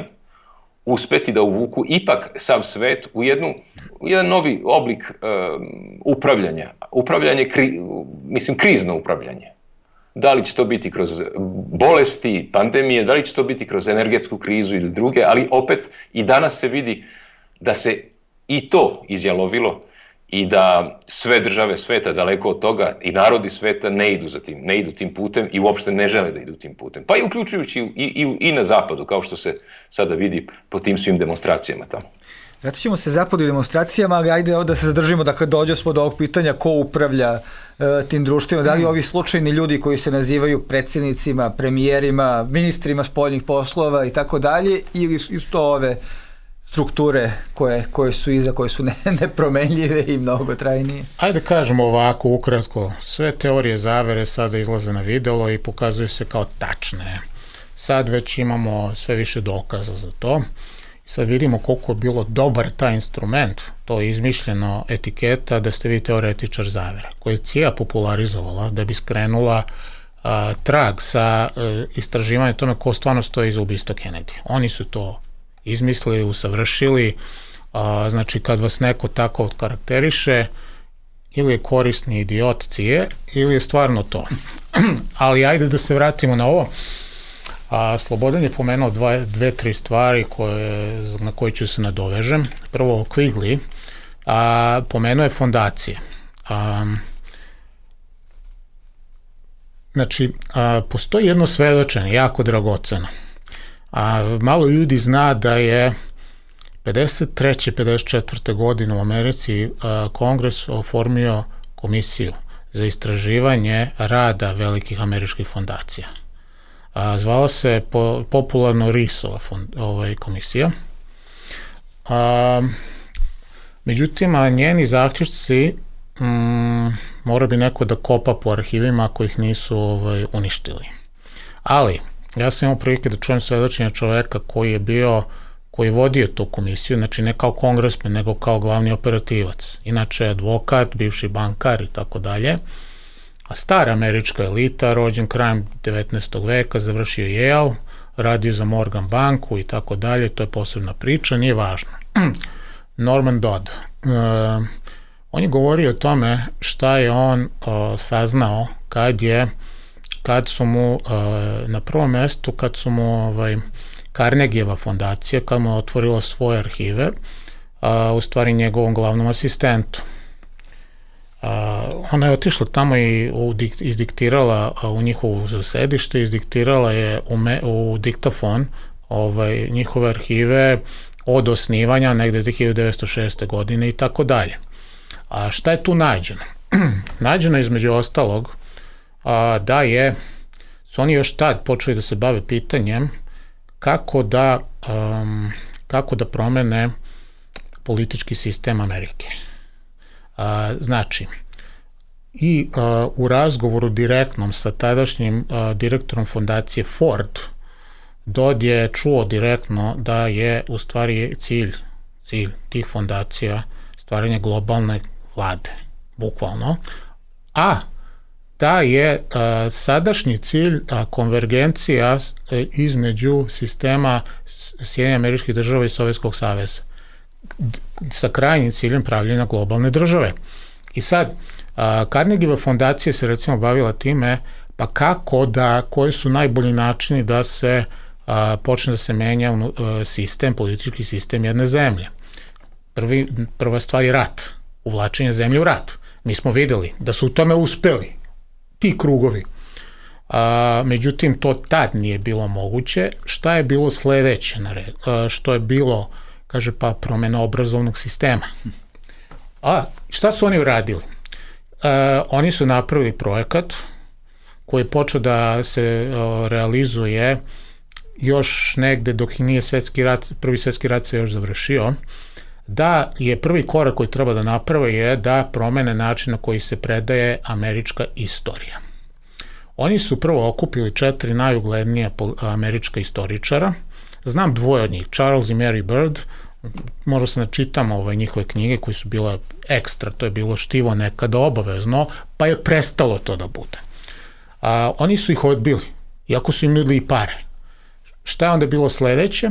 uspeti da uvuku ipak sav svet u, jednu, u jedan novi oblik um, upravljanja. Upravljanje, kri, mislim, krizno upravljanje. Da li će to biti kroz bolesti, pandemije, da li će to biti kroz energetsku krizu ili druge, ali opet i danas se vidi da se i to izjalovilo i da sve države sveta daleko od toga i narodi sveta ne idu za tim, ne idu tim putem i uopšte ne žele da idu tim putem. Pa i uključujući i, i, i na zapadu, kao što se sada vidi po tim svim demonstracijama tamo. Vratit ćemo se zapadu i demonstracijama, ali ajde da se zadržimo, dakle dođe smo do ovog pitanja ko upravlja uh, tim društvima, da li ovi slučajni ljudi koji se nazivaju predsjednicima, premijerima, ministrima spoljnih poslova i tako dalje, ili su to ove strukture koje, koje su iza, koje su ne, nepromenljive i mnogo trajnije? Ajde kažemo ovako ukratko, sve teorije zavere sada izlaze na videlo i pokazuju se kao tačne. Sad već imamo sve više dokaza za to. I sad vidimo koliko je bilo dobar taj instrument, to je izmišljeno etiketa da ste vi teoretičar zavere, koju je C I A popularizovala da bi skrenula a, trag sa a, istraživanja tome ko stvarno stoji iza ubistva Kennedy. Oni su to izmislili, usavršili, a, znači kad vas neko tako karakteriše, ili je korisni idiot C I A ili je stvarno to. Ali ajde da se vratimo na ovo. A Slobodan je pomenuo dva, dve, tri stvari koje, na koje ću se nadovežem. Prvo, Quigley, a, pomenuo je fondacije. A, znači, a, postoji jedno svedočenje, jako dragoceno. A, malo ljudi zna da je pedeset treće pedeset četvrte godine u Americi a, Kongres oformio komisiju za istraživanje rada velikih američkih fondacija. A, zvala se po, popularno RIS-ova ovaj, komisija. A, međutim, a njeni zaključci mm, mora bi neko da kopa po arhivima ako ih nisu ovaj, uništili. Ali, ja sam imao prilike da čujem svedočenja čoveka koji je bio, koji je vodio tu komisiju, znači ne kao kongresmen, nego kao glavni operativac. Inače, advokat, bivši bankar i tako dalje. A stara američka elita, rođen krajem devetnaestog veka, završio Yale, radio za Morgan banku i tako dalje, to je posebna priča, nije važno. Norman Dodd, uh, on je govorio o tome šta je on uh, saznao kad je, kad su mu uh, na prvom mestu, kad su mu ovaj, Carnegieva fondacija, kad mu je otvorila svoje arhive, uh, u stvari njegovom glavnom asistentu. Uh, ona je otišla tamo i u, izdiktirala uh, u njihovu sedište, izdiktirala je u, me, u diktafon ovaj, njihove arhive od osnivanja negde hiljadu devetsto šeste. godine i tako dalje. A šta je tu nađeno? Nađeno je između ostalog a, da je, su oni još tad počeli da se bave pitanjem kako da, um, kako da promene politički sistem Amerike. A, znači, i a, u razgovoru direktnom sa tadašnjim a, direktorom fondacije Ford, Dodd je čuo direktno da je u stvari cilj, cilj tih fondacija stvaranje globalne vlade, bukvalno, a da je a, sadašnji cilj a, konvergencija a, između sistema Sjedinjenih Američkih Država i Sovjetskog saveza sa krajnjim ciljem pravljenja globalne države. I sad, a, Carnegieva fondacija se recimo bavila time pa kako da, koji su najbolji načini da se a, počne da se menja a, sistem, politički sistem jedne zemlje. Prvi, prva stvar je rat, uvlačenje zemlje u rat. Mi smo videli da su u tome uspeli ti krugovi. A, međutim, to tad nije bilo moguće. Šta je bilo sledeće na red? A, što je bilo, kaže pa, promena obrazovnog sistema. A šta su oni uradili? A, oni su napravili projekat koji je počeo da se a, realizuje još negde dok nije svetski rat, prvi svetski rat se još završio, da je prvi korak koji treba da naprave je da promene način na koji se predaje američka istorija. Oni su prvo okupili četiri najuglednija američka istoričara, znam dvoje od njih, Charles i Mary Bird, možda se načitam ovaj, njihove knjige koje su bile ekstra, to je bilo štivo nekada obavezno, pa je prestalo to da bude. A, oni su ih odbili, iako su im nudili i pare. Šta je onda bilo sledeće?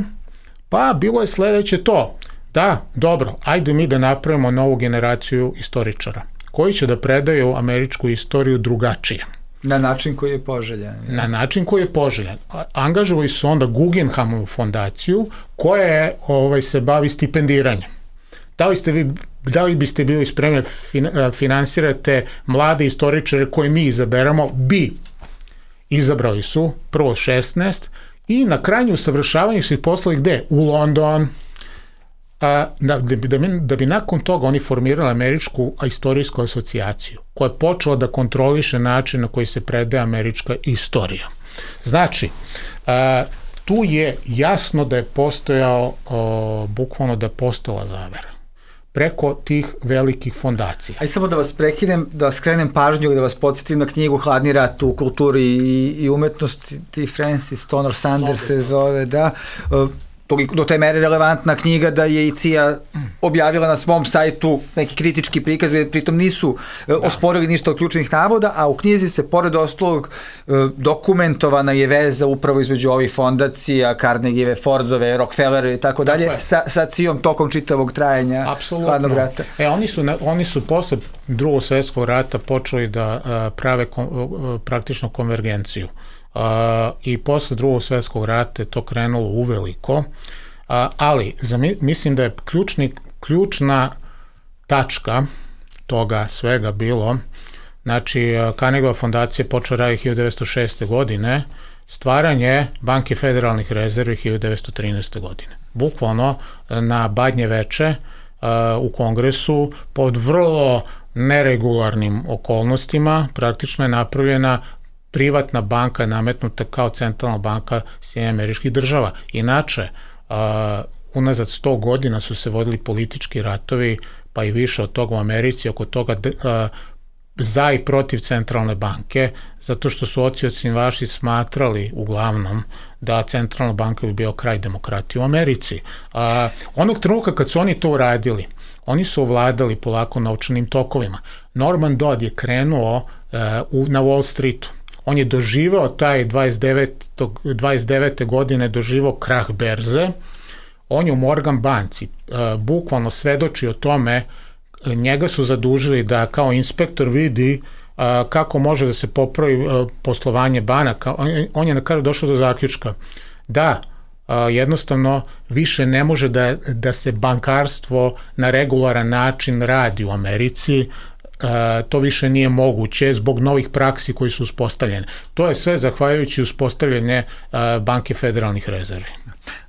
Pa bilo je sledeće to, da, dobro, ajde mi da napravimo novu generaciju istoričara, koji će da predaju američku istoriju drugačije. Na način koji je poželjan. Ja. Na način koji je poželjan. Angažovali su onda Guggenheimovu fondaciju koja je, ovaj, se bavi stipendiranjem. Da li, ste vi, da li biste bili spremni finansirate mlade istoričare koje mi izaberamo? Bi. Izabrali su prvo šesnaest i na krajnju usavršavanje su ih poslali gde? U London, a, da, da, bi, da bi nakon toga oni formirali američku istorijsku asocijaciju koja je počela da kontroliše način na koji se predaje američka istorija. Znači, a, tu je jasno da je postojao, o, bukvalno da je postojala zavera preko tih velikih fondacija. Aj samo da vas prekinem, da skrenem pažnju i da vas podsjetim na knjigu Hladni rat u kulturi i, i umetnosti, Francis Tonor Sanders se zove, da, do te mere relevantna knjiga da je i C I A objavila na svom sajtu neki kritički prikaz, pritom nisu da. osporili ništa od ključnih navoda, a u knjizi se pored ostalog dokumentovana je veza upravo između ovih fondacija, Carnegieve, Fordove, Rockefellerove i tako dalje, sa, sa C I A-om tokom čitavog trajanja Apsolutno. Hladnog rata. E, oni su, oni su posle drugog svjetskog rata počeli da prave kom, praktično konvergenciju. Uh, i posle drugog svjetskog rata je to krenulo uveliko, uh, ali za, mislim da je ključni, ključna tačka toga svega bilo, znači uh, Carnegieva fondacija počela raditi hiljadu devetsto šeste. godine, stvaranje Banke federalnih rezervi hiljadu devetsto trinaeste. godine. Bukvalno na Badnje veče uh, u Kongresu pod vrlo neregularnim okolnostima praktično je napravljena privatna banka je nametnuta kao centralna banka Sjedinjenih Američkih Država. Inače, uh, unazad sto godina su se vodili politički ratovi, pa i više od toga u Americi, oko toga uh, za i protiv centralne banke, zato što su oci ocjenjivači smatrali uglavnom da centralna banka bi bio kraj demokratije u Americi. Uh, onog trenutka kad su oni to uradili, oni su ovladali polako novčanim tokovima. Norman Dodd je krenuo uh, u, na Wall Streetu. On je doživao taj dvadeset devete. godine doživao krah berze. On je u Morgan banci uh, bukvalno svedoči o tome, njega su zadužili da kao inspektor vidi uh, kako može da se popravi uh, poslovanje banaka. On, on je na kraju došao do zaključka da uh, jednostavno više ne može da, da se bankarstvo na regularan način radi u Americi. Uh, to više nije moguće zbog novih praksi koji su uspostavljene. To je sve zahvaljujući uspostavljanje uh, Banke federalnih rezervi.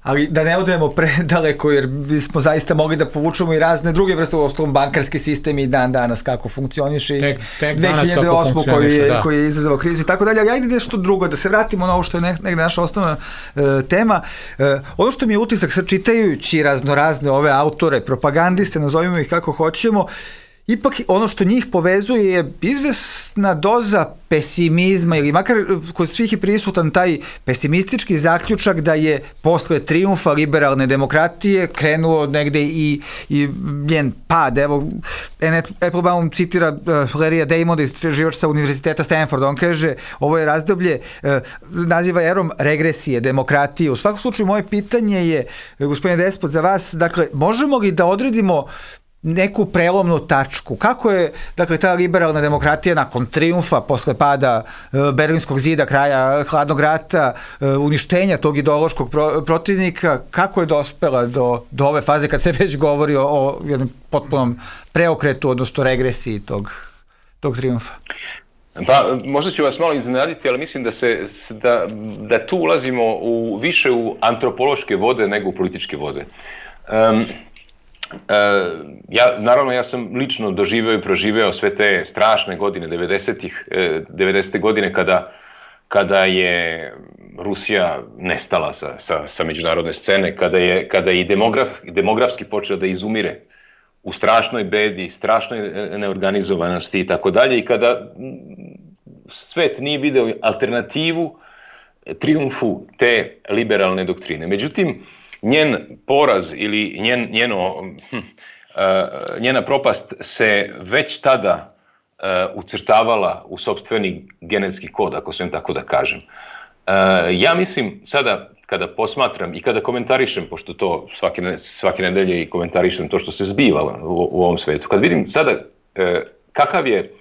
Ali da ne odemo predaleko, jer bismo zaista mogli da povučemo i razne druge vrste, u osnovom bankarski sistem i dan danas kako funkcioniše, tek, tek dve hiljade osme. koji je, da. koji je izazvao krizu i tako dalje, ali ajde nešto drugo, da se vratimo na ovo što je negde naša osnovna uh, tema. Uh, ono što mi je utisak, sad čitajući raznorazne ove autore, propagandiste, nazovimo ih kako hoćemo, ipak ono što njih povezuje je izvesna doza pesimizma, ili makar kod svih je prisutan taj pesimistički zaključak da je posle trijumfa liberalne demokratije krenuo negde i, i njen pad. Evo, Applebaum citira uh, Larrya Damona, istraživač sa univerziteta Stanford, on kaže, ovo je razdoblje, uh, naziva erom regresije, demokratije. U svakom slučaju, moje pitanje je, gospodine Despot, za vas, dakle, možemo li da odredimo neku prelomnu tačku? Kako je, dakle, ta liberalna demokratija nakon trijumfa, posle pada uh, Berlinskog zida, kraja Hladnog rata, uh, uništenja tog ideološkog pro, protivnika, kako je dospela do, do ove faze kad se već govori o, o jednom potpunom preokretu, odnosno regresiji tog, tog trijumfa? Pa, možda ću vas malo iznenaditi, ali mislim da, se, da, da tu ulazimo u, više u antropološke vode nego u političke vode. Um, Uh, ja, naravno, ja sam lično doživeo i proživeo sve te strašne godine devedesetih, devedesete godine kada, kada je Rusija nestala sa, sa, sa međunarodne scene, kada je, kada je i demograf, demografski počeo da izumire u strašnoj bedi, strašnoj neorganizovanosti i tako dalje, i kada svet nije video alternativu trijumfu te liberalne doktrine. Međutim, njen poraz ili njen, njeno, hm, uh, njena propast se već tada uh, ucrtavala u sopstveni genetski kod, ako sam tako da kažem. Uh, ja mislim sada kada posmatram i kada komentarišem, pošto to svake, svake nedelje i komentarišem to što se zbiva u, u ovom svetu, kad vidim sada uh, kakav je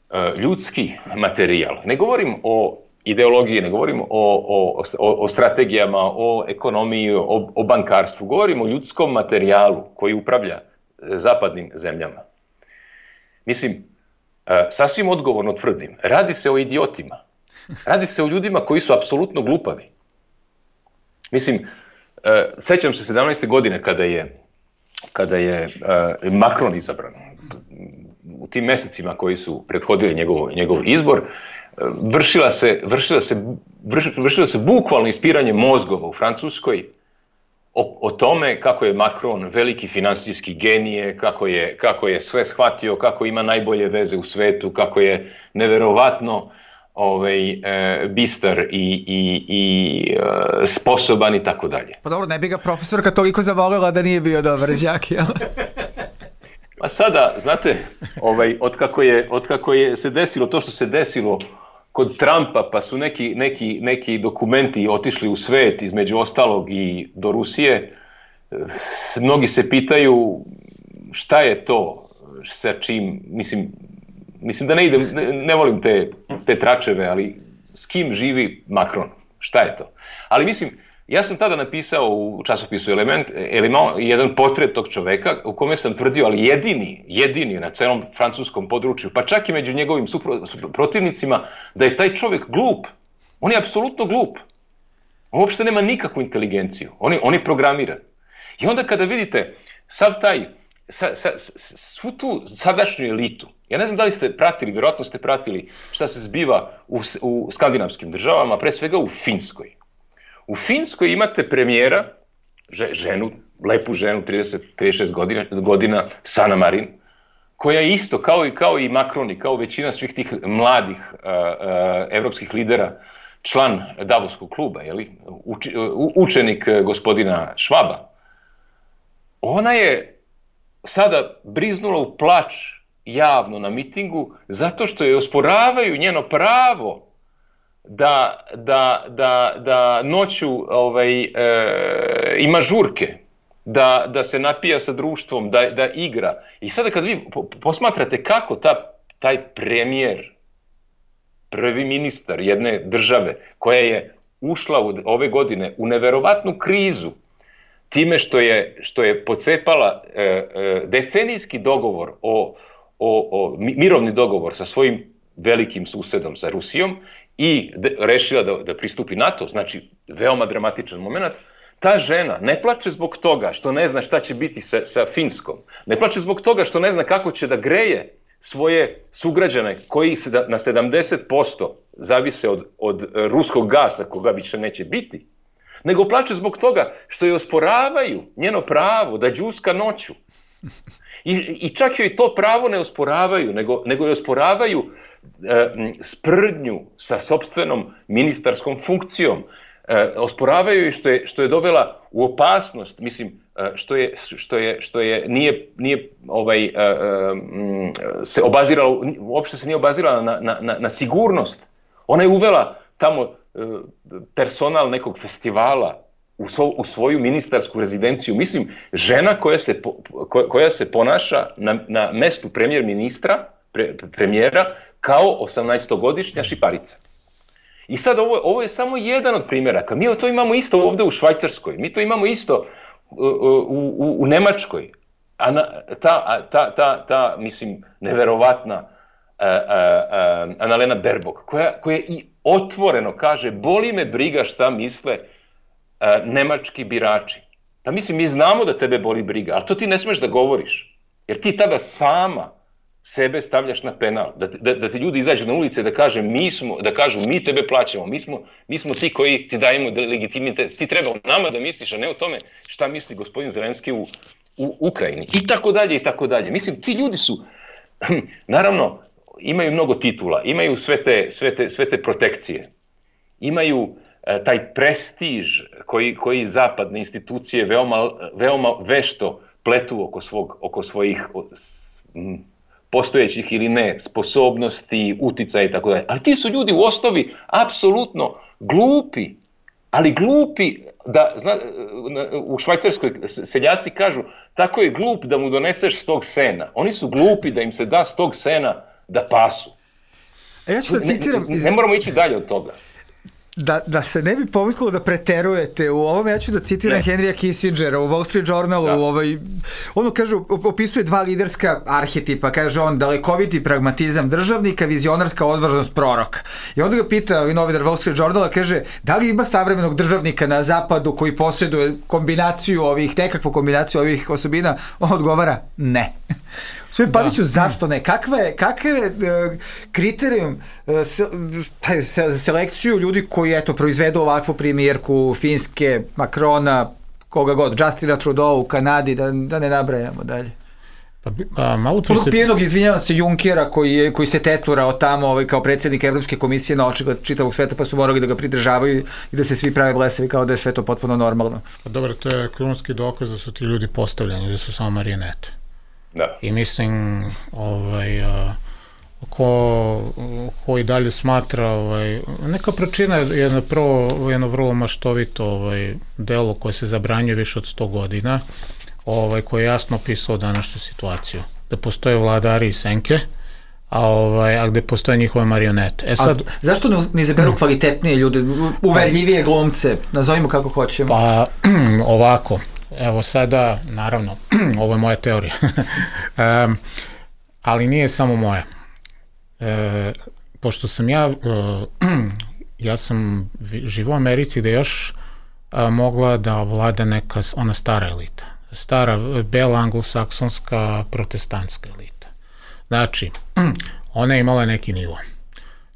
uh, ljudski materijal, ne govorim o ideologije, ne govorimo o, o, o, o strategijama, o ekonomiji, o, o bankarstvu, govorimo o ljudskom materijalu koji upravlja zapadnim zemljama. Mislim, sasvim odgovorno tvrdim, radi se o idiotima, radi se o ljudima koji su apsolutno glupavi. Mislim, sećam se sedamnaeste godine kada je kada je uh, Macron izabran, u tim mesecima koji su prethodili njegov, njegov izbor, vršila se, vršila se, vršila se bukvalno ispiranje mozgova u Francuskoj o, o tome kako je Macron veliki finansijski genije, kako je, kako je sve shvatio, kako ima najbolje veze u svetu, kako je neverovatno ovaj, e, bistar i, i, i e, sposoban i tako dalje. Pa dobro, ne bi ga profesorka toliko zavolila da nije bio dobar đak, jel? Pa sada, znate, ovaj, otkako je, otkako je se desilo to što se desilo kod Trumpa, pa su neki, neki, neki dokumenti otišli u svet, između ostalog i do Rusije, mnogi se pitaju šta je to, sa čim, mislim, mislim da ne idem, ne, ne volim te, te tračeve, ali s kim živi Macron, šta je to? Ali mislim, ja sam tada napisao u časopisu Element, Element jedan portret tog čoveka u kome sam tvrdio, ali jedini, jedini na celom francuskom području, pa čak i među njegovim supro, protivnicima, da je taj čovek glup. On je apsolutno glup. On uopšte nema nikakvu inteligenciju. On je, on je programiran. I onda kada vidite sav taj, sa, sa, svu tu sadašnju elitu, ja ne znam da li ste pratili, vjerojatno ste pratili šta se zbiva u, u skandinavskim državama, pre svega u Finskoj. U Finskoj imate premijera, ženu, lepu ženu, trideset do trideset šest godina, godina, Sanna Marin, koja je isto, kao i, kao i Macron i kao većina svih tih mladih uh, uh, evropskih lidera, član Davoskog kluba, jeli? Uči, uh, učenik gospodina Švaba. Ona je sada briznula u plač javno na mitingu zato što je osporavaju njeno pravo da, da, da, da noću ovaj, e, ima žurke, da, da se napija sa društvom, da, da igra. I sada kad vi posmatrate kako ta, taj premijer, prvi ministar jedne države koja je ušla u, ove godine u neverovatnu krizu, time što je, što je pocepala e, e, decenijski dogovor, o, o, o, mirovni dogovor sa svojim velikim susedom, sa Rusijom, i de, rešila da, da pristupi NATO, znači veoma dramatičan moment, ta žena ne plače zbog toga što ne zna šta će biti sa, sa Finskom, ne plače zbog toga što ne zna kako će da greje svoje sugrađane koji se na sedamdeset posto zavise od, od ruskog gasa koga više neće biti, nego plače zbog toga što je osporavaju njeno pravo da đuska noću. I, i čak joj to pravo ne osporavaju, nego, nego joj osporavaju e, sprdnju sa sopstvenom ministarskom funkcijom. E, osporavaju joj što je, što je dovela u opasnost, mislim, e, što je, što je, što je nije, nije ovaj, e, e, se obazirala, uopšte se nije obazirala na, na, na, na sigurnost. Ona je uvela tamo e, personal nekog festivala u, svo, u svoju ministarsku rezidenciju. Mislim, žena koja se, ko, koja se ponaša na, na mestu premijer ministra, pre, premijera, kao osamnaestogodišnja šiparica. I sad ovo, ovo je samo jedan od primjeraka. Mi to imamo isto ovdje u Švajcarskoj, mi to imamo isto u, u, u, u Nemačkoj. Ana, ta, ta, ta, ta, mislim, neverovatna uh, uh, uh, Annalena Baerbock, koja, koja i otvoreno kaže, boli me briga šta misle uh, nemački birači. Pa mislim, mi znamo da tebe boli briga, ali to ti ne smeš da govoriš. Jer ti tada sama sebe stavljaš na penal, da, da, da ti ljudi izađu na ulice da, kaže, mi smo, da kažu mi tebe plaćamo, mi smo, mi smo ti koji ti dajemo legitimitet, ti treba o nama da misliš, a ne o tome šta misli gospodin Zelenski u, u Ukrajini. I tako dalje, i tako dalje. Mislim, ti ljudi su, naravno, imaju mnogo titula, imaju sve te, sve te, sve te protekcije, imaju e, taj prestiž koji, koji zapadne institucije veoma, veoma vešto pletu oko, svog, oko svojih s, m, postojećih ili ne sposobnosti, uticaja i tako dalje. Ali ti su ljudi u osnovi apsolutno glupi, ali glupi da, zna, u Švajcarskoj seljaci kažu, tako je glup da mu doneseš stog sena. Oni su glupi da im se da stog sena da pasu. A ja ću da citiram... Ne, ne, ne moramo ići dalje od toga. Da, da se ne bi pomislilo da preterujete u ovom, ja ću da citiram ne. Henrya Kissingera u Wall Street Journalu, da. u ovaj, ono kaže, opisuje dva liderska arhetipa, kaže on, dalekoviti pragmatizam državnika, vizionarska odvažnost proroka. I onda ga pita novinar Wall Street Journala, kaže, da li ima savremenog državnika na zapadu koji posjeduje kombinaciju ovih, nekakvu kombinaciju ovih osobina? On odgovara, ne. Sve Paviću, zašto ne? Kakva je, kakav je uh, kriterijum uh, se, se, selekciju ljudi koji eto, proizvedu ovakvu premijerku Finske, Macrona, koga god, Justina Trudeau u Kanadi, da, da ne nabrajamo dalje. Pa, a, malo prije se... Pijenog, izvinjavam se, Junckera koji, je, koji se teturao tamo ovaj, kao predsjednik Evropske komisije na oči čitavog sveta, pa su morali da ga pridržavaju i da se svi prave blesavi kao da je sve to potpuno normalno. Pa dobro, to je krunski dokaz da su ti ljudi postavljeni, da su samo marionete. Da. I mislim, ovaj, a, ko, ko i dalje smatra, ovaj, neka pročina jedno, prvo, jedno vrlo maštovito ovaj, delo koje se zabranjuje više od sto godina, ovaj, koje je jasno opisao današnju situaciju. Da postoje vladari i senke, a, ovaj, a gde postoje njihove marionete. E sad, a zašto ne, ne izaberu kvalitetnije ljude, uverljivije glumce, nazovimo kako hoćemo? Pa, ovako, evo sada, naravno, ovo je moja teorija, um, ali nije samo moja. E, pošto sam ja, uh, ja sam živo u Americi gde još uh, mogla da vlada neka, ona stara elita, stara, bela, anglosaksonska, protestantska elita. Znači, ona je imala neki nivo.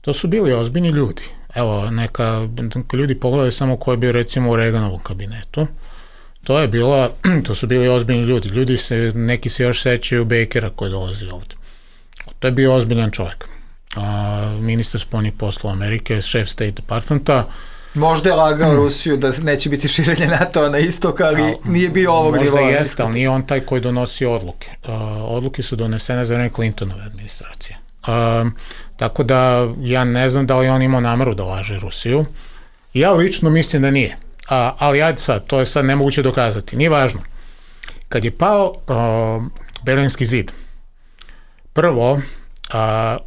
To su bili ozbiljni ljudi. Evo, neka, neka ljudi pogledaju samo ko je bio recimo u Reaganovom kabinetu. To je bilo, to su bili ozbiljni ljudi. Ljudi se, neki se još sećaju Bakera koji dolazi ovde. To je bio ozbiljan čovjek. A, ministar spoljnih poslova Amerike, šef State Departmenta. Možda je lagao hmm. Rusiju da neće biti širenje NATO na istok, ali a, nije bio ovog nivoa. Možda jeste, ali nije on taj koji donosi odluke. A, odluke su donesene za vreme Clintonove administracije. A, tako da ja ne znam da li on imao nameru da laže Rusiju. Ja lično mislim da nije. A, ali ajde sad, to je sad nemoguće dokazati, nije važno. Kad je pao uh, Berlinski zid, prvo, uh,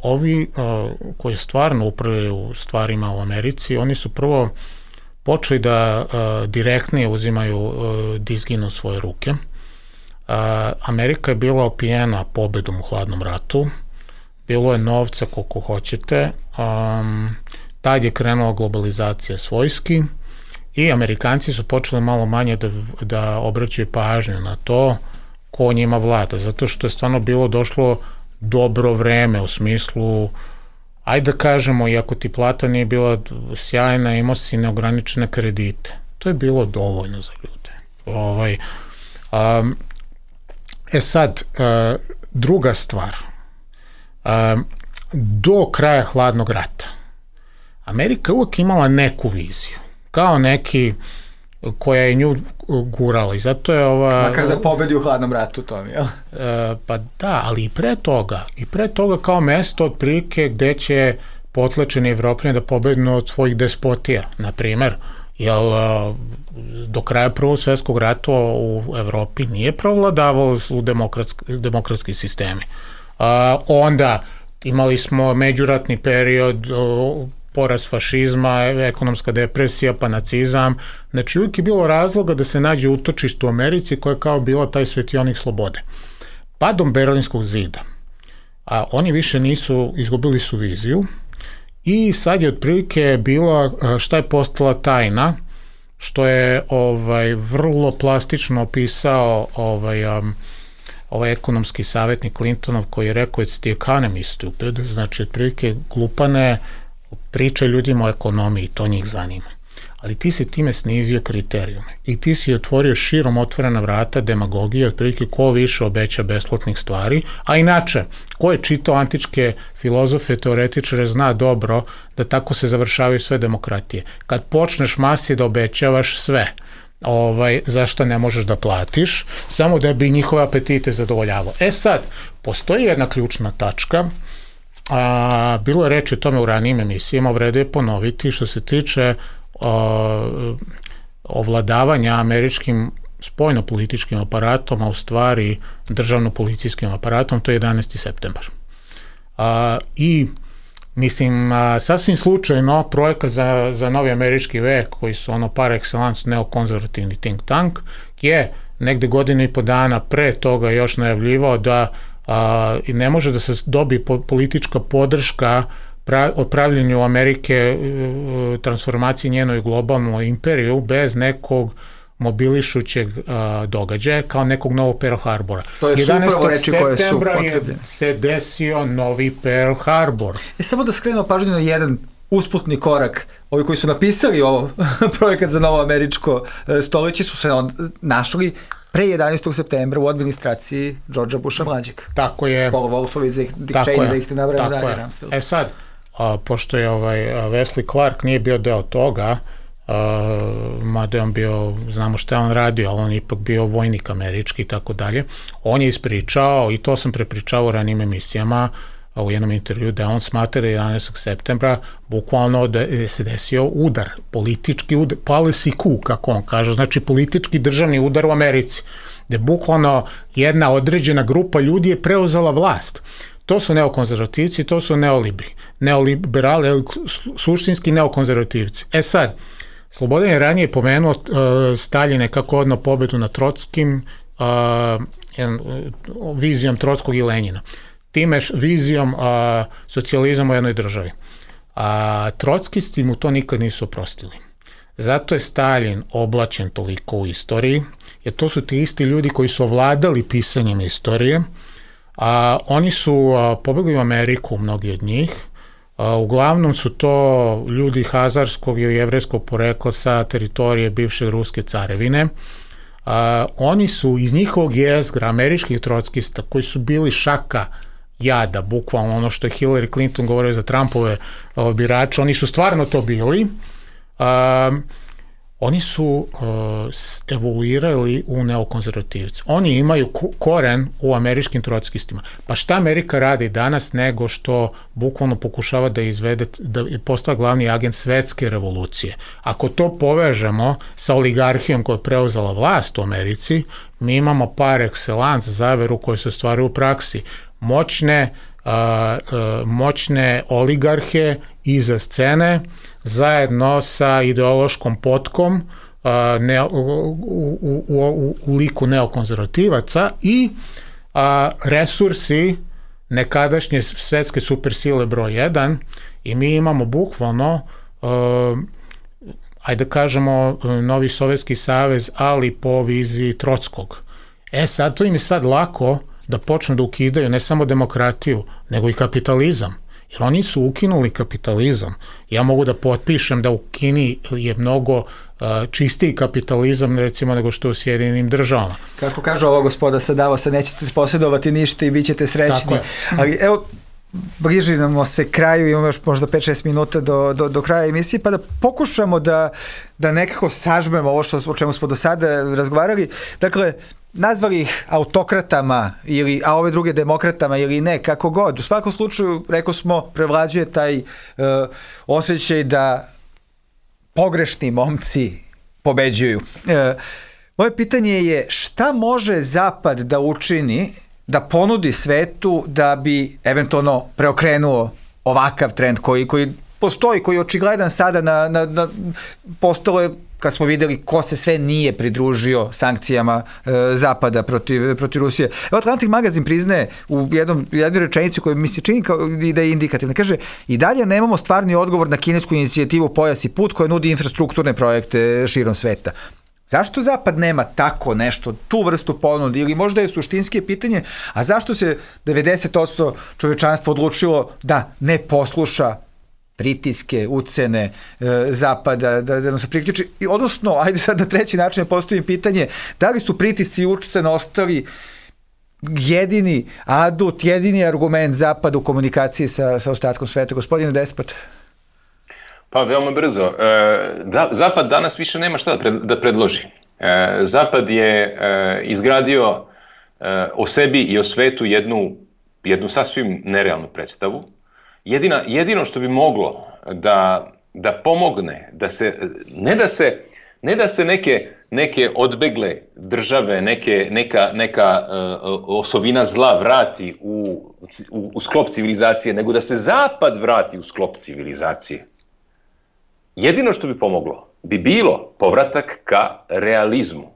ovi uh, koji stvarno upravljaju stvarima u Americi, oni su prvo počeli da uh, direktnije uzimaju uh, dizgin u svoje ruke. Uh, Amerika je bila opijena pobedom u hladnom ratu, bilo je novca koliko hoćete, um, tad je krenula globalizacija svojski, i Amerikanci su počeli malo manje da, da obraćaju pažnju na to ko njima vlada, zato što je stvarno bilo došlo dobro vreme u smislu, ajde da kažemo, iako ti plata nije bila sjajna, imao si neograničene kredite. To je bilo dovoljno za ljude. Ovaj, um, e sad, uh, druga stvar, um, do kraja hladnog rata Amerika uvek imala neku viziju, kao neki koja je nju gurala i zato je ova... Makar da pobedi u hladnom ratu, to mi je. E, pa da, ali i pre toga, i pre toga kao mesto otprilike gde će potlačeni Evropljani da pobednu od svojih despotija, na primer, jer do kraja Prvog svjetskog rata u Evropi nije provladavalo su demokratski, demokratski sistemi. A, onda imali smo međuratni period, porast fašizma, ekonomska depresija, pa nacizam. Znači, uvijek je bilo razloga da se nađe utočište u Americi koja je kao bila taj svetionik slobode. Padom Berlinskog zida, a oni više nisu, izgubili su viziju i sad je otprilike bila, šta je postala tajna, što je ovaj vrlo plastično opisao ovaj, um, ovaj ekonomski savjetnik Clintonov koji je rekao it's the economy stupid, znači otprilike glupane priča ljudima o ekonomiji, to njih zanima. Ali ti si time snizio kriterijume i ti si otvorio širom otvorena vrata demagogije, otprilike ko više obeća besplatnih stvari, a inače, ko je čitao antičke filozofe, teoretičare, zna dobro da tako se završavaju sve demokratije. Kad počneš masi da obećavaš sve, ovaj, zašto ne možeš da platiš, samo da bi njihove apetite zadovoljavao. E sad, postoji jedna ključna tačka. A, bilo je reči o tome u ranijim emisijama, vrede je ponoviti što se tiče a, ovladavanja američkim spoljno-političkim aparatom, a u stvari državno-policijskim aparatom, to je jedanaesti septembar. A, I Mislim, a, sasvim slučajno projekat za, za novi američki vek, koji su ono par excellence neokonzervativni think tank, je negde godine i po dana pre toga još najavljivao da a, ne može da se dobi po, politička podrška pra, o pravljenju Amerike, transformaciji njenoj globalnoj imperiju bez nekog mobilišućeg uh, događaja kao nekog novog Pearl Harbora. To je upravo reči koje su septembra je se desio novi Pearl Harbor. E, samo da skrenemo pažnju na jedan usputni korak. Ovi koji su napisali ovo projekat za novo američko stoljeće su se našli pre jedanaestog septembra u administraciji Georgea Busha mlađeg. Tako je. Paul Wolfowitz, Dick Cheney, da ih ne nabrajamo dalje. E sad, a, pošto je ovaj Wesley Clark nije bio deo toga, Uh, mada je on bio, znamo šta je on radio, ali on je ipak bio vojnik američki i tako dalje. On je ispričao, i to sam prepričao u ranim emisijama, uh, u jednom intervju, da on smatra da jedanaestog septembra bukvalno da je se desio udar, politički udar, policy coup, kako on kaže, znači politički državni udar u Americi, da je bukvalno jedna određena grupa ljudi je preuzela vlast. To su neokonzervativci, to su neolibi, neoliberali, suštinski neokonzervativci. E sad, Slobodan je ranije pomenuo uh, Staljine kako odno pobedu nad Trotskim, uh, jedan, uh, vizijom Trotskog i Lenjina. Time vizijom uh, socijalizama u jednoj državi. A Trotskisti mu to nikad nisu oprostili. Zato je Staljin oblačen toliko u istoriji, jer to su ti isti ljudi koji su ovladali pisanjem istorije. A, oni su uh, pobegli u Ameriku, mnogi od njih. Uh, uglavnom su to ljudi hazarskog ili jevrejskog porekla sa teritorije bivše Ruske carevine. Uh, oni su iz njihovog jezgra, američkih trotskista, koji su bili šaka jada, bukvalno ono što je Hillary Clinton govorio za Trumpove uh, birače, oni su stvarno to bili. Uh, oni su uh, evoluirali u neokonzervativce. Oni imaju koren u američkim trotskistima. Pa šta Amerika radi danas nego što bukvalno pokušava da izvede, da postane glavni agent svetske revolucije. Ako to povežemo sa oligarhijom koja je preuzela vlast u Americi, mi imamo par excellence zaveru koje se stvaraju u praksi. Moćne, uh, uh, moćne oligarhe iza scene, zajedno sa ideološkom potkom uh, ne, u, u, u, u liku neokonzervativaca i uh, resursi nekadašnje svetske supersile broj jedan i mi imamo bukvalno uh, ajde da kažemo novi Sovjetski savez, ali po viziji Trotskog. E sad, to im je sad lako da počnu da ukidaju ne samo demokratiju, nego i kapitalizam. Jer oni su ukinuli kapitalizam. Ja mogu da potpišem da u Kini je mnogo uh, čistiji kapitalizam recimo nego što u Sjedinjenim državama. Kako kaže ova gospoda sa Davosa, nećete posjedovati ništa i bit ćete srećni. Ali evo, bližimo se kraju, imamo još možda pet šest minuta do, do, do kraja emisije, pa da pokušamo da, da nekako sažmemo ovo što, o čemu smo do sada razgovarali. Dakle, nazvali ih autokratama ili, a ove druge demokratama ili ne, kako god. U svakom slučaju, rekao smo, prevlađuje taj uh, osjećaj da pogrešni momci pobeđuju. Uh, moje pitanje je šta može Zapad da učini, da ponudi svetu da bi eventualno preokrenuo ovakav trend koji, koji postoji, koji je očigledan sada na, na, na postalo je kad smo videli ko se sve nije pridružio sankcijama e, Zapada protiv, protiv Rusije. Evo, Atlantic magazin priznaje u jednom, jednoj rečenici koja mi se čini kao da je indikativna. Kaže, i dalje nemamo stvarni odgovor na kinesku inicijativu Pojas i put koja nudi infrastrukturne projekte širom sveta. Zašto Zapad nema tako nešto, tu vrstu ponude, ili možda je suštinske pitanje, a zašto se devedeset posto čovečanstva odlučilo da ne posluša pritiske, ucene e, Zapada, da, da nam se priključi. I odnosno, ajde sad na treći način postavim pitanje, da li su pritisci i ucene ostali jedini adut, jedini argument Zapada u komunikaciji sa, sa ostatkom sveta? Gospodine Despot. Pa veoma brzo. E, Zapad danas više nema šta da, pred, da predloži. E, Zapad je e, izgradio e, o sebi i o svetu jednu, jednu sasvim nerealnu predstavu. Jedina, jedino što bi moglo da, da pomogne, da se, ne, da se, ne da se neke neke odbegle države, neke, neka, neka uh, osovina zla vrati u, u, u sklop civilizacije, nego da se zapad vrati u sklop civilizacije. Jedino što bi pomoglo bi bilo povratak ka realizmu.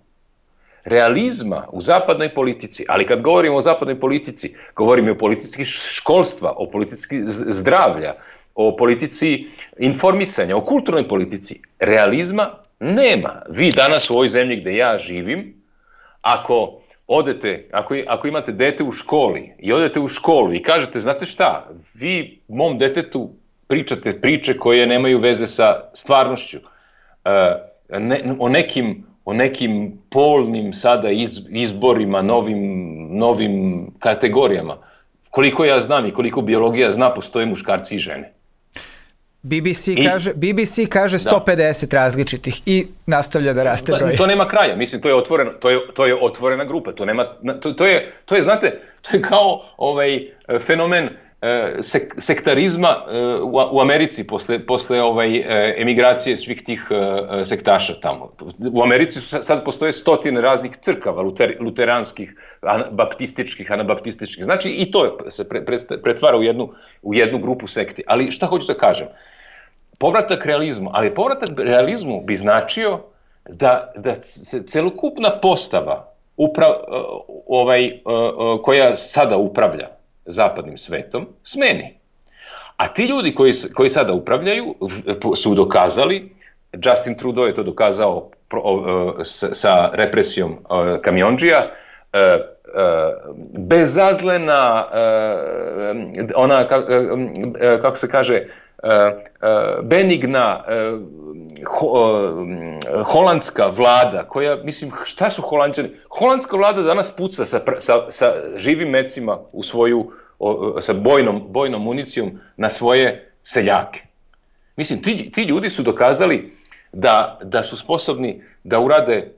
Realizma u zapadnoj politici, ali kad govorimo o zapadnoj politici, govorimo o politici školstva, o politici zdravlja, o politici informisanja, o kulturnoj politici. Realizma nema. Vi danas u ovoj zemlji gde ja živim, ako odete, ako, ako imate dete u školi i odete u školu i kažete, znate šta, vi mom detetu pričate priče koje nemaju veze sa stvarnošću, ne, o nekim o nekim polnim sada iz, izborima, novim, novim kategorijama. Koliko ja znam i koliko biologija zna, postoje muškarci i žene. B B C I, kaže, B B C kaže sto pedeset da. različitih i nastavlja da raste broj. To nema kraja, mislim, to je otvorena, to je, to je otvorena grupa, to nema, to, to, je, to je, znate, to je kao ovaj fenomen Sek, sektarizma u, u Americi posle, posle ovaj, emigracije svih tih sektaša tamo. U Americi su sad postoje stotine raznih crkava, luter, luteranskih, baptističkih, anabaptističkih. Znači i to se pre, pre, pretvara u jednu, u jednu grupu sekti. Ali šta hoću da kažem? Povratak realizmu, ali povratak realizmu bi značio da, da se celokupna postava upra, ovaj, koja sada upravlja zapadnim svetom, smeni. A ti ljudi koji, koji sada upravljaju su dokazali, Justin Trudeau je to dokazao sa represijom kamionđija, bezazlena, ona, kako se kaže, benigna holandska vlada, koja, mislim, šta su Holanđani? Holandska vlada danas puca sa, sa, sa živim mecima u svoju, sa bojnom, bojnom municijom na svoje seljake. Mislim, ti, ti ljudi su dokazali da, da su sposobni da urade,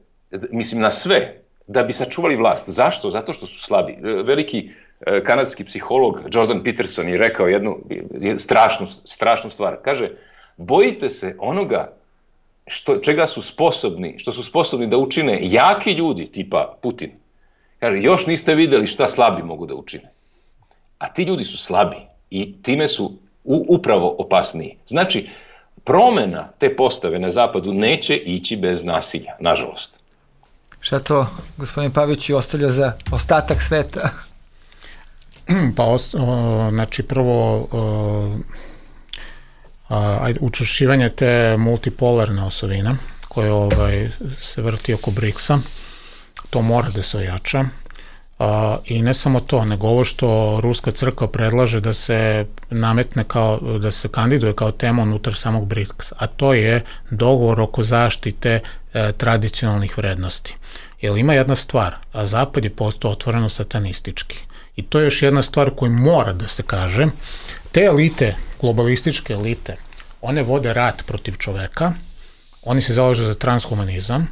mislim, na sve, da bi sačuvali vlast. Zašto? Zato što su slabi. Veliki kanadski psiholog Jordan Peterson je rekao jednu strašnu, strašnu stvar. Kaže, bojite se onoga što, čega su sposobni, što su sposobni da učine jaki ljudi tipa Putin. Kaže, još niste videli šta slabi mogu da učine. A ti ljudi su slabi i time su u, upravo opasniji. Znači, promena te postave na zapadu neće ići bez nasilja, nažalost. Šta to, gospodin Pavić, ostavlja za ostatak sveta? Pa, o, znači, prvo, o, a, učvršćivanje te multipolarne osovine, koje ovaj, se vrti oko briksa, to mora da se ojača. A, I ne samo to, nego ovo što Ruska crkva predlaže da se nametne kao, da se kandiduje kao tema unutar samog briksa, a to je dogovor oko zaštite e, tradicionalnih vrednosti. Jer ima jedna stvar, a Zapad je postao otvoreno satanistički. I to je još jedna stvar koju mora da se kaže. Te elite, globalističke elite, one vode rat protiv čoveka, oni se zalažu za transhumanizam,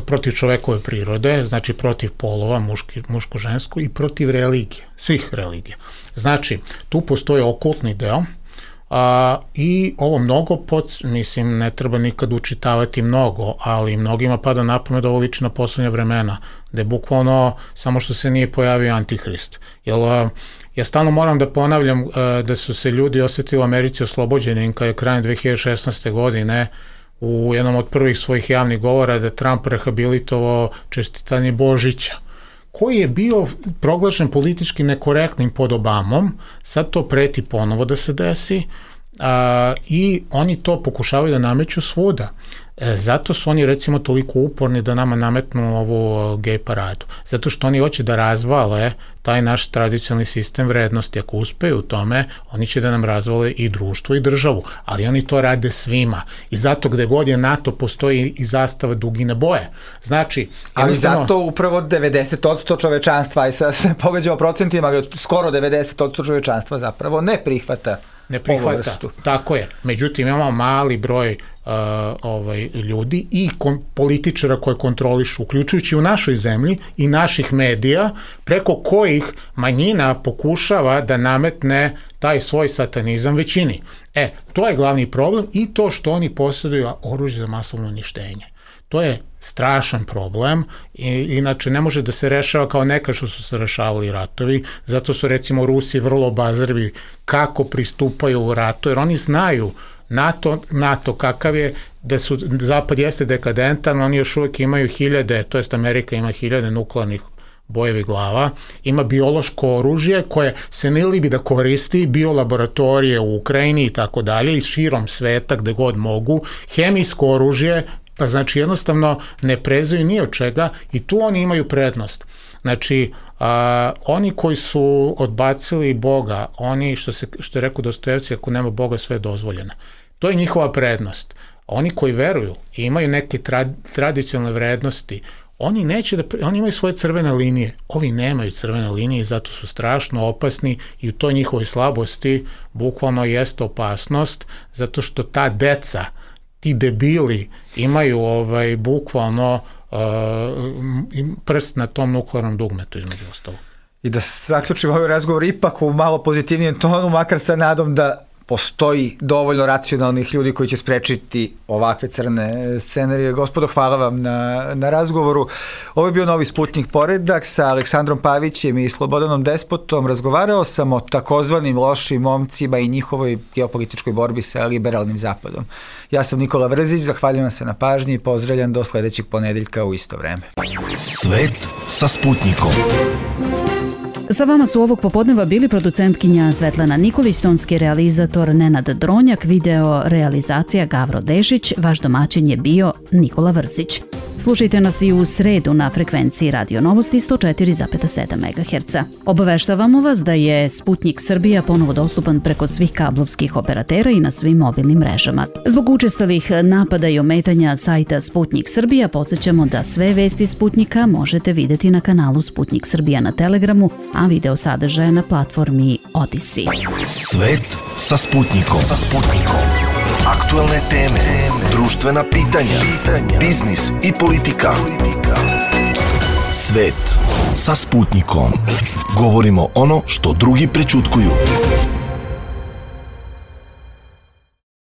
protiv čovekove prirode, znači protiv polova, muški, muško-žensko i protiv religije, svih religija. Znači, tu postoji okultni deo a, i ovo mnogo, pod, mislim, ne treba nikad učitavati mnogo, ali mnogima pada na pamet da ovo liči na poslednja vremena, da je bukvalno samo što se nije pojavio Antihrist. Jer ja stalno moram da ponavljam a, da su se ljudi osetili u Americi oslobođeni kada je krajem dve hiljade šesnaeste. godine u jednom od prvih svojih javnih govora da Trump rehabilitovao čestitanje Božića, koji je bio proglašen politički nekorektnim pod Obamom, sad to preti ponovo da se desi a, i oni to pokušavaju da nameću svuda. E, zato su oni recimo toliko uporni da nama nametnu ovu gej paradu. Zato što oni hoće da razvale taj naš tradicionalni sistem vrednosti. Ako uspeju u tome, oni će da nam razvale i društvo i državu. Ali oni to rade svima. I zato gde god je NATO postoji i zastava dugine boje. Znači, ali zato upravo devedeset posto čovečanstva, i sad se pogađamo procentima, ali skoro devedeset posto čovečanstva zapravo ne prihvata ne prihvata, tako je. Međutim, imamo mali broj uh, ovaj, ljudi i kon, političara koje kontrolišu, uključujući u našoj zemlji i naših medija, preko kojih manjina pokušava da nametne taj svoj satanizam većini. E, to je glavni problem i to što oni posjeduju oružje za masovno uništenje. To je strašan problem i inače ne može da se rešava kao nekad što su se rešavali ratovi, zato su recimo Rusi vrlo obazrivi kako pristupaju u ratu, jer oni znaju NATO, NATO kakav je, da su, Zapad jeste dekadentan, oni još uvijek imaju hiljade, to jest Amerika ima hiljade nuklearnih bojevih glava, ima biološko oružje koje se ne libi da koristi, biolaboratorije u Ukrajini i tako dalje i širom sveta gde god mogu, hemijsko oružje, pa znači jednostavno ne prezaju ni od čega i tu oni imaju prednost. Znači, a, oni koji su odbacili Boga, oni, što, se, što je rekao Dostojevski, ako nema Boga sve je dozvoljeno. To je njihova prednost. Oni koji veruju i imaju neke tra, tradicionalne vrednosti, oni neće da, oni imaju svoje crvene linije, ovi nemaju crvene linije i zato su strašno opasni i u toj njihovoj slabosti bukvalno jeste opasnost, zato što ta deca, ti debili imaju ovaj, bukvalno uh, prst na tom nuklearnom dugmetu između ostalo. I da zaključimo ovaj razgovor ipak u malo pozitivnijem tonu, makar sa nadom da postoji dovoljno racionalnih ljudi koji će sprečiti ovakve crne scenarije. Gospodo, hvala vam na, na razgovoru. Ovo je bio Novi Sputnik poredak sa Aleksandrom Pavićem i Slobodanom Despotom. Razgovarao sam o takozvanim lošim momcima i njihovoj geopolitičkoj borbi sa liberalnim zapadom. Ja sam Nikola Vrzić, zahvaljujem se na pažnji i pozdravljam do sledećeg ponedeljka u isto vreme. Svet sa Sputnikom. Sa vama su ovog popodneva bili producentkinja Svetlana Nikolić, tonski realizator Nenad Dronjak, video realizacija Gavro Dešić, vaš domaćin je bio Nikola Vrzić. Slušajte nas i u sredu na frekvenciji Radio Novosti sto četiri zarez sedam megaherca. Obaveštavamo vas da je Sputnik Srbija ponovo dostupan preko svih kablovskih operatera i na svim mobilnim mrežama. Zbog učestalih napada i ometanja sajta Sputnik Srbija podsjećamo da sve vesti Sputnika možete videti na kanalu Sputnik Srbija na Telegramu, a video sadržaje na platformi Odyssey. Svet sa Sputnikom. Sa Sputnikom. Aktuelne teme, društvena pitanja, biznis i politika. Svet sa Sputnikom. Govorimo ono što drugi prećutkuju.